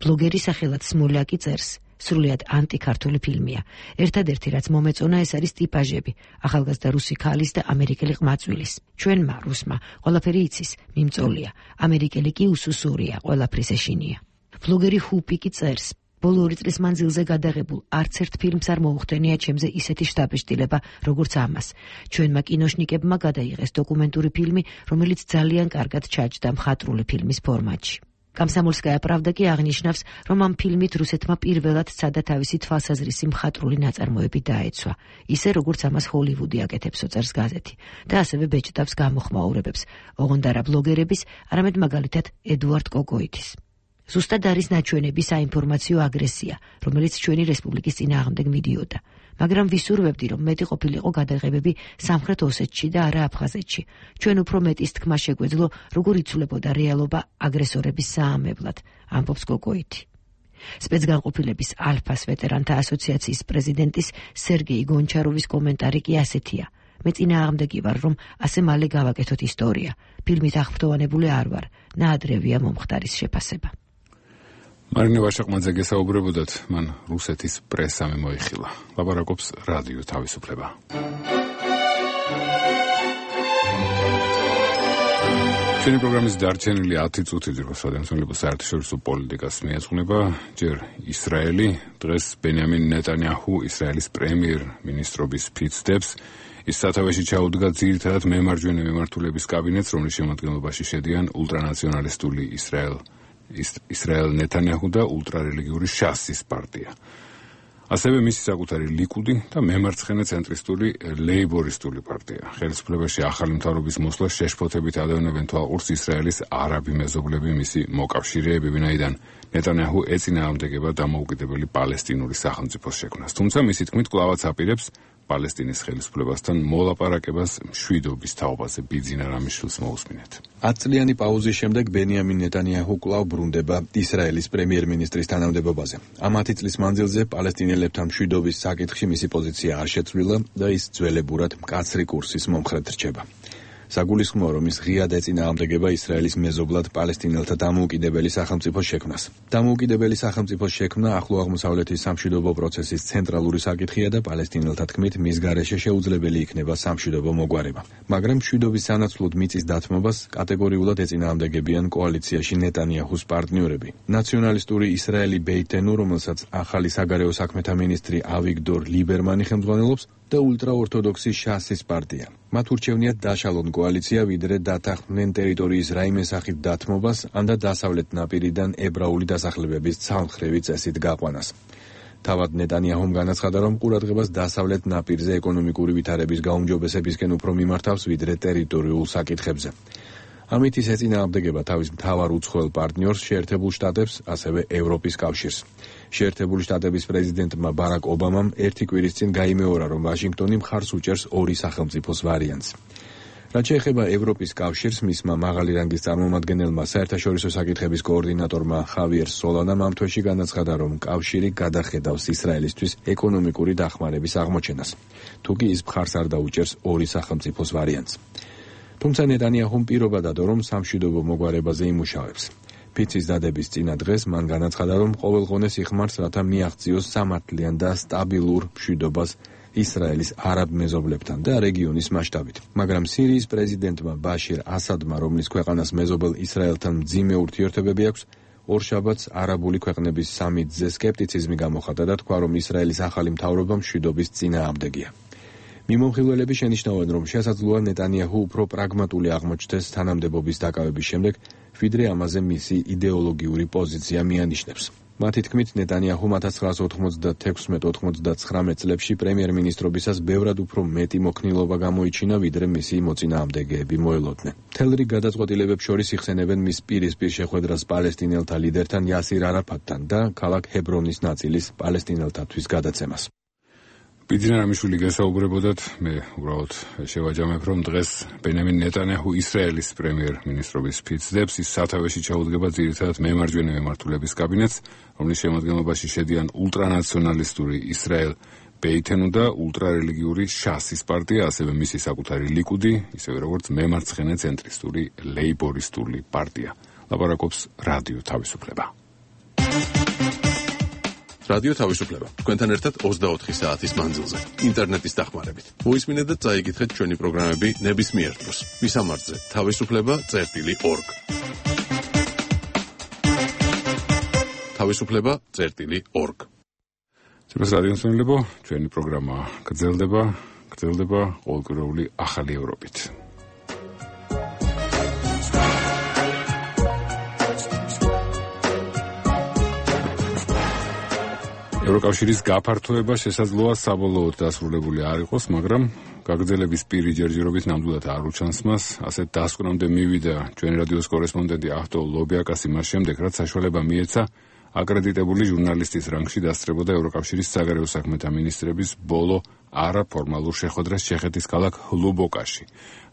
ბლოგერი სახელად სმოლაკი წერს: სრულიად ანტიქართული ფილმია. ერთადერთი რაც მომეწონა ეს არის ტიპაჟები, ახალგაზრდა რუსი ქალის და ამერიკელი ყმაწვილის. ჩვენმა რუსმა ყველაფერი იცის, მიმწოლია. ამერიკელი კი უსუსურია, ყველაფრის ეშინია. ბლოგერი ჰუპიკი წერს: ბოლო ორი წლის მანძილზე გადაღებულ არც ერთ ფილმს არ მოუხდენია ჩემზე ისეთი შთაბეჭდილება, როგორც ამას. ჩვენმა კინოშნიკებმა გადაიღეს დოკუმენტური ფილმი, რომელიც ძალიან კარგად ჩაჯდა მხატვრული ფილმის ფორმატში. Komsomolskaya Pravda კი აღნიშნავს, რომ ამ ფილმით რუსეთმა პირველად სცადა თავისი თვალსაზრისი მხატვრული ნაწარმოები დაეცვა, ისე როგორც ამას ჰოლივუდი აკეთებს, წერს გაზეთი, და ასევე ბეჭდავს გამოხმაურებებს, ოღონდ არა ბლოგერების, არამედ მაგალითად ედუარდ კოკოიტის. ზუსტად არის ნაჩვენები საინფორმაციო აგრესია, რომელიც ჩვენი რესპუბლიკის წინააღმდეგ მიდიოდა. მაგრამ ვისურვებდი, რომ მეტი ყოფილიყო გადაღებები სამხრეთ ოსეთში და არა აფხაზეთში. ჩვენ უფრო მეტის თქმა შეგვეძლო, როგორ იცვლებოდა რეალობა აგრესორების საამებლად, ამბობს კოკოიტი. სპეცგანყოფილების ალფას ვეტერანთა ასოციაციის პრეზიდენტის სერგეი გონჩაროვის კომენტარი კი ასეთია: მე წინააღმდეგი ვარ, რომ ასე მალე გავაკეთოთ ისტორია. ფილმით აღფრთოვანებული არ ვარ, ნაადრევია მომხდარის შეფასება. მარინე ვაშაყმაძე გესაუბრებოდათ, მან რუსეთის პრესა მოიხილა. ლაპარაკობს რადიო თავისუფლება. ჩვენი პროგრამის დარჩენილი ათი წუთი რუსადენსონლებს საერთაშორისო პოლიტიკას მიეძღვნება ჯერ ისრაელი, დღეს ბენიამინ ნეტანიაჰუ ისრაელის პრემიერ-მინისტრობის ფიცდებს. ის სათავეში ჩაუდგა ძირითადად მემარჯვენე მემართულების კაბინეტს, რომლის შემადგენლობაში შედიან ულტრანაციონალისტული ისრაელ ისრაელ ნეტანიაჰუ და ულტრარელიგიური შასის პარტია. ასევე მისი საკუთარი ლიკუდი და მემარცხენე ცენტრისტული ლეიბორისტული პარტია. ხელისუფლებაში ახალი მთავრობის მოსვლა შეშფოთებით ადევნებენ თვალყურს ისრაელის არაბი მეზობლები, მისი მოკავშირეები, ვინაიდან ნეტანიაჰუ ეწინააღმდეგება დამოუკიდებელი პალესტინური სახელმწიფოს შექმნას. თუმცა მისი თქმით კვლავაც აპირებს პალესტინის ხელისუფლებასთან მოლაპარაკებას მშვიდობის თაობაზე. ბიძინა რამიშვილს მოусმინეთ. ათწლიანი პაუზის შემდეგ ბენიამინ ნეტანიაჰუ კვლავ ბრუნდება ისრაელის პრემიერ-მინისტრის თანამდებობაზე. ამ ათი წლის მანძილზე პალესტინელებთან მშვიდობის საკითხში მისი პოზიცია არ შეცვლილა და ის ძველებურად მკაცრი კურსის მომხრედ რჩება. საგულისხმოა, რომ ის ღიად ეწინააღმდეგება ისრაელის მეზობლად პალესტინელთა დამოუკიდებელი სახელმწიფოს შექმნას. დამოუკიდებელი სახელმწიფოს შექმნა ახლო აღმოსავლეთის სამშვიდობო პროცესის ცენტრალური საკითხია და პალესტინელთა თქმით მის გარეშე შეუძლებელი იქნება სამშვიდობო მოგვარება. მაგრამ მშვიდობის სანაცვლოდ მიწის დათმობას კატეგორიულად ეწინააღმდეგებიან კოალიციაში ნეტანიაჰუს პარტნიორები. ნაციონალისტური ისრაელი ბეითენუ, რომელსაც ახალი საგარეო საქმეთა მინისტრი ავიგდორ ლიბერმანი ხელმძღვანელობს, და ულტრაორთოდოქსი შასის პარტია. მათ ურჩევნიათ დაშალონ კოალიცია, ვიდრე დათანხმდნენ ტერიტორიის რაიმე სახით დათმობას, ან და დასავლეთ ნაპირიდან ებრაული დასახლებების ცალმხრივი წესით გაყვანას. თავად ნეტანიაჰუმ განაცხადა, რომ ყურადღებას დასავლეთ ნაპირზე ეკონომიკური ვითარების გაუმჯობესებისკენ უფრო მიმართავს, ვიდრე ტერიტორიულ საკითხებზე. ამით ის ეწინააღმდეგება თავის მთავარ უცხოელ პარტნიორს, შეერთებულ შტატებს, ასევე ევროპის კავშირს. შეერთებული შტატების პრეზიდენტმა ბარაკ ობამამ ერთი კვირის წინ გაიმეორა, რომ ვაშინგტონი მხარს უჭერს ორი სახელმწიფოს ვარიანტს. რაც შეეხება ევროპის კავშირს, მისმა მაღალი რანგის წარმომადგენელმა საერთაშორისო საკითხების კოორდინატორმა ხავიერ სოლანამ ამ თვეში განაცხადა, რომ კავშირი გადახედავს ისრაელისთვის ეკონომიკური დახმარების აღმოჩენას, თუკი ის მხარს არ დაუჭერს ორი სახელმწიფოს ვარიანტს. თუმცა ნეტანიაჰუმ პირობა დადო, რომ სამშვიდობო მოგვარებაზე იმუშავებს. ფიცის დადების წინა დღეს მან განაცხადა, რომ ყოველღონეს იხმარს, რათა მიაღწიოს სამართლიან და სტაბილურ მშვიდობას ისრაელის არაბ მეზობლებთან და რეგიონის მასშტაბით. მაგრამ სირიის პრეზიდენტმა ბაშირ ასადმა, რომლის ქვეყანას მეზობელ ისრაელთან მძიმე ურთიერთობები აქვს, ორშაბათს არაბული ქვეყნების სამიტზე სკეპტიციზმი გამოხატა და თქვა, რომ ისრაელის ახალი მთავრობა მშვიდობის წინააღმდეგია. მიმომხილველები შენიშნავენ, რომ შესაძლოა ნეტანიაჰუ უფრო პრაგმატული აღმოჩნდეს თანამდებობის დაკავების შემდეგ, ვიდრე ამაზე მისი იდეოლოგიური პოზიცია მიანიშნებს. მათი თქმით, ნეტანიაჰუმ ათას ცხრაასა ოთხმოცდათექვსმეტ ოთხმოცდაცხრამეტ წლებში პრემიერ-მინისტრობისას ბევრად უფრო მეტი მოქნილობა გამოიჩინა, ვიდრე მისი მოწინააღმდეგეები მოელოდნენ. მთელ რიგ გადაწყვეტილებებს შორის იხსენებენ მის პირისპირ შეხვედრას პალესტინელთა ლიდერთან იასირ არაფატთან და ქალაქ ჰებრონის ნაწილის პალესტინელთათვის გადაცემას. ბიძინა რამიშვილი გესაუბრებოდათ, მე უბრალოდ შევაჯამებ, რომ დღეს ბენიამინ ნეტანიაჰუ ისრაელის პრემიერ-მინისტრობის ფიცდებს, ის სათავეში ჩაუდგება ძირითადად მემარჯვენე მემართულების კაბინეტს, რომლის შემადგენლობაში შედიან ულტრანაციონალისტური ისრაელ ბეითენუ და ულტრარელიგიური შასის პარტია, ასევე მისი საკუთარი ლიკუდი, ისევე როგორც მემარცხენე ცენტრისტული ლეიბორისტული პარტია. ლაპარაკობს რადიო თავისუფლება. რადიო თავისუფლება. თქვენთან ერთად ოცდაოთხი საათის მანძილზე, ინტერნეტის დახმარებით. მოისმინეთ და წაიკითხეთ ჩვენი პროგრამები ნებისმიერ დროს. მისამართზე თავისუფლება წერტილი ორგ. თავისუფლება წერტილი ორგ. ცოტა რადიოსმენლებო, ჩვენი პროგრამა გრძელდება, გრძელდება ყოველკვირეული ახალი ევროპით. ევროკავშირის გაფართოება შესაძლოა საბოლოოდ დასრულებული არ იყოს, მაგრამ გაგრძელების პირი ჯერჯერობით ნამდვილად არ უჩანს მას. ასეთ დასკვნამდე მივიდა ჩვენი რადიოს კორესპონდენტი ახტო ლობიაკას იმას შემდეგ, რაც საშუალება მიეცა აკრედიტებული ჟურნალისტის რანგში დასწრებოდა ევროკავშირის საგარეო საქმეთა მინისტრების ბოლო არაფორმალურ შეხვედრას ჩეხეთის ქალაქ ლუბოკაში.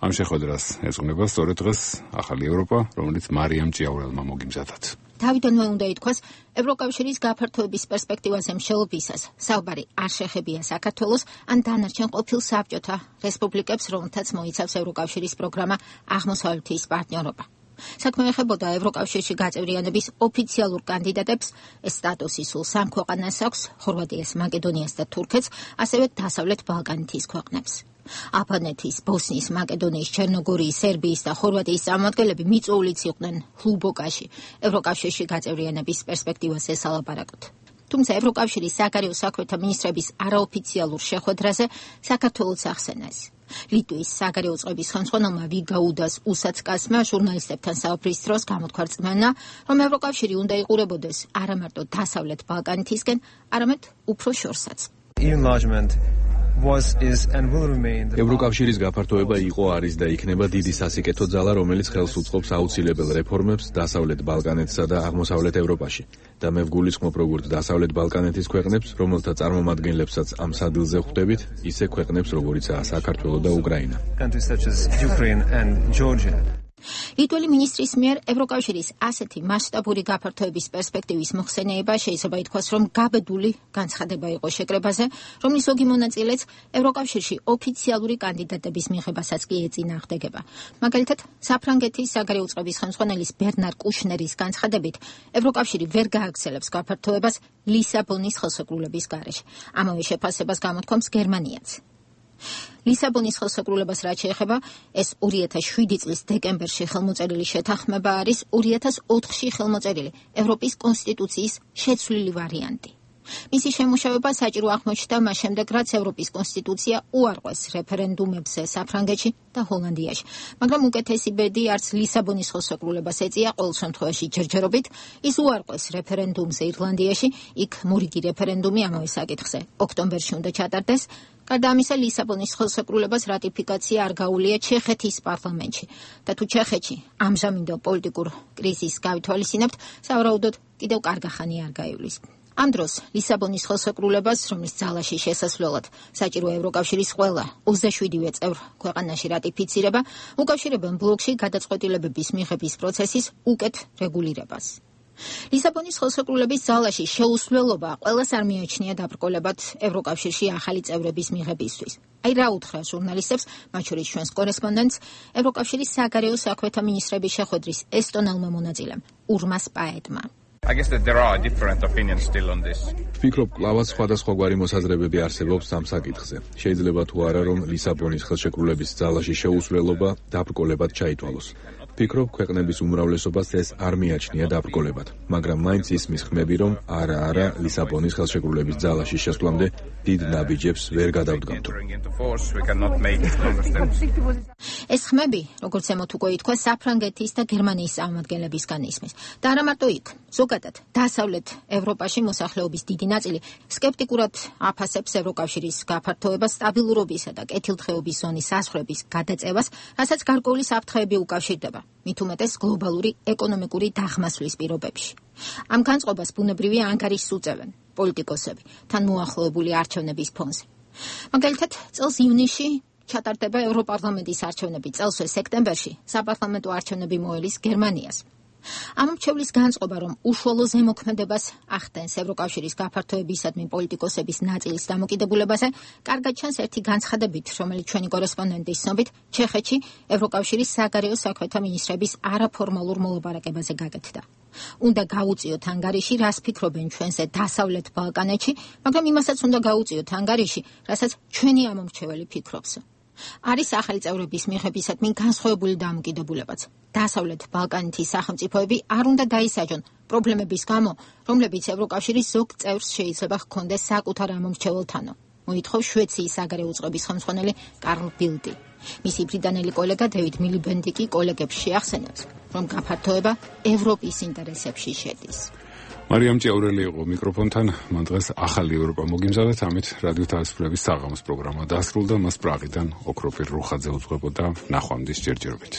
ამ შეხვედრას ეძღვნება სწორედ დღეს ახალი ევროპა, რომელიც მარიამ ჭიაურელმა მოგიმზადათ. თავიდანვე უნდა ითქვას, ევროკავშირის გაფართოების პერსპექტივაზე მსჯელობისას საუბარი არ შეხებია საქართველოს ან დანარჩენ ყოფილ საბჭოთა რესპუბლიკებს, რომელთაც მოიცავს ევროკავშირის პროგრამა აღმოსავლეთის პარტნიორობა. საქმე ეხებოდა ევროკავშირში გაწევრიანების ოფიციალურ კანდიდატებს, ეს სტატუსი სულ სამ ქვეყანას აქვს, ხორვატიას, მაკედონიას და თურქეთს, ასევე დასავლეთ ბალკანეთის ქვეყნებს. აფხაზეთის, ბოსნიის, მაკედონიის, ჩერნოგორიის, სერბიის და ხორვატიის წარმომადგენლები მიწვეულიც იყვნენ ლუბოკაში ევროკავშირში გაწევრიანების პერსპექტივას ესალაპარაკოთ. თუმცა ევროკავშირის საგარეო საქმეთა მინისტრების არაოფიციალურ შეხვედრაზე საქართველოს ახსენეს. ლიტვის საგარეო წყობის ხელმძღვანელმა ვიგაუდას უსაცკასმა ჟურნალისტებთან საუბრის დროს გამოთქვა რწმენა, რომ ევროკავშირი უნდა იყურებოდეს არა მარტო დასავლეთ ბალკანეთისკენ, არამედ უფრო შორსაც. ევროკავშირის გაფართოება იყო, არის და იქნება დიდი სასიკეთო ძალა, რომელიც ხელს უწყობს აუცილებელ რეფორმებს დასავლეთ ბალკანეთსა და აღმოსავლეთ ევროპაში. და მე ვგულისხმობ როგორც დასავლეთ ბალკანეთის ქვეყნებს, რომელთა წარმომადგენლებსაც ამ სადილზე ხვდებით, ისე ქვეყნებს, როგორიცაა საქართველო და უკრაინა. ლიტველი მინისტრის მიერ ევროკავშირის ასეთი მასშტაბური გაფართოების პერსპექტივის მოხსენიება შეიძლება ითქვას, რომ გაბედული განცხადება იყო შეკრებაზე, რომლის ზოგი მონაწილეც ევროკავშირში ოფიციალური კანდიდატების მიღებასაც კი ეწინააღმდეგება. მაგალითად, საფრანგეთის საგარეო წყობის ხელმძღვანელის ბერნარ კუშნერის განცხადებით, ევროკავშირი ვერ გააგრძელებს გაფართოებას ლისაბონის ხელშეკრულების გარეშე. ამავე შეფასებას გამოთქვამს გერმანიაც. ლისაბონის ხელშეკრულებას რაც შეეხება, ეს ორი ათას შვიდი წლის დეკემბერში ხელმოწერილი შეთანხმება არის ორი ათას ოთხში ხელმოწერილი ევროპის კონსტიტუციის შეცვლილი ვარიანტი. მისი შემუშავება საჭირო აღმოჩნდა მას შემდეგ, რაც ევროპის კონსტიტუცია უარყვეს რეფერენდუმებზე საფრანგეთში და ჰოლანდიაში. მაგრამ უკეთესი ბედი არც ლისაბონის ხელშეკრულებას ეწია, ყოველ შემთხვევაში ჯერჯერობით ის უარყვეს რეფერენდუმზე ირლანდიაში, იქ მორიგი რეფერენდუმი ამავე საკითხზე ოქტომბერში უნდა ჩატარდეს. გარდა ამისა, ლისაბონის ხელშეკრულებას რატიფიკაცია არ გაუვლია ჩეხეთის პარლამენტში და თუ ჩეხეთში ამჟამინდელ პოლიტიკურ კრიზისს გავითვალისწინებთ, სავარაუდოდ კიდევ კარგახანი არ გაივლის. ამ დროს ლისაბონის ხელშეკრულებას, რომლის ძალაში შესასვლელად საჭირო ევროკავშირის ყველა ოცდაშვიდივე წევრ ქვეყანაში რატიფიცირება, უკავშირებენ ბლოკში გადაწყვეტილებების მიღების პროცესის უკეთ რეგულირებას. ლისაბონის ხელშეკრულების ძალაში შეუსვლელობა ყველას არ მიაჩნია დაბრკოლებად ევროკავშირში ახალი წევრების მიღებისთვის. აი რა უთხრა ჟურნალისტებს, მათ შორის ჩვენს კორესპონდენტს, ევროკავშირის საგარეო საქმეთა მინისტრების შეხვედრის ესტონელმა მონაწილემ ურმას პაეტმა. I guess that there are different opinions still on this. ვფიქრობ, კლავაც სხვადასხვაგვარი მოსაზრებები არსებობს ამ საკითხზე. შეიძლება თუ არა, რომ ლისაბონის ხელშეკრულების ძალაში შეუსვლელობა დაბრკოლებად ჩაითვალოს. ფიქრობ, ქვეყნების უმრავლესობას ეს არ მიაჩნია დაბრკოლებად, მაგრამ მაინც ისმის ხმები, რომ არა არა ლისაბონის ხელშეკრულების ძალაში შესვლამდე დიდ ნაბიჯებს ვერ გადავდგამთ. ეს ხმები, როგორც ემოთ უკვე ითქვა, საფრანგეთის და გერმანიის წარმომადგენლებისგან ისმის. და არა მარტო იქ, ზოგადად, დასავლეთ ევროპაში მოსახლეობის დიდი ნაწილი სკეპტიკურად აფასებს ევროკავშირის გაფართოებას, სტაბილურობისა და კეთილდღეობის ზონის საზღვრების გადაწევას, რასაც გარკვეული საფრთხეები უკავშირდება, მით უმეტეს გლობალური ეკონომიკური დაღმასვლის პირობებში. ამ განწყობას ბუნებრივია ანგარიშს უწევენ პოლიტიკოსები, თან მოახლოებული არჩევნების ფონზე. მაგალითად, წელს ივნისში ჩატარდება ევროპარლამენტის არჩევნები, წელსვე სექტემბერში საპარლამენტო არჩევნები მოელის გერმანიას. ამ მრჩევლის განწყობა, რომ უშუალო ზემოქმედებას ახდენს ევროკავშირის გაფართოებისადმი პოლიტიკოსების ნაწილის დამოკიდებულებაზე, კარგად ჩანს ერთი განცხადებით, რომელიც ჩვენი კორესპონდენტის ცნობით, ჩეხეთში ევროკავშირის საგარეო საქმეთა მინისტრების არაფორმალურ მოლაპარაკებაზე გაკეთდა. უნდა გაუწიოთ ანგარიში, რას ფიქრობენ ჩვენზე დასავლეთ ბალკანეთში, მაგრამ იმასაც უნდა გაუწიოთ ანგარიში, რასაც ჩვენი ამომრჩეველი ფიქრობს. არის ახალი წევრების მიღებისადმი განსხვავებული დამოკიდებულებაც. დასავლეთ ბალკანეთის სახელმწიფოები არ უნდა დაისაჯონ პრობლემების გამო, რომლებიც ევროკავშირის ზოგ წევრს შეიძლება ჰქონდეს საკუთარ ამომრჩეველთანო. მოითხოვს შვეიციის საგარეო უწყების ხელმძღვანელი კარლ ბილდი. მისი ბრიტანელი კოლეგა დევიდ მილიბენდი კი კოლეგებს შეახსენებს, რომ გაფართოება ევროპის ინტერესებში შედის. მარიამ ჭიაურელი იყო მიკროფონთან, მან დღეს ახალი ევროპა მოგიმზადეთ, ამით რადიო თავისუფლების საღამოს პროგრამა დასრულდა, მას პრაღიდან ოქროფირ რუხაძე უძღვებოდა, ნახვამდის ჯერჯერობით.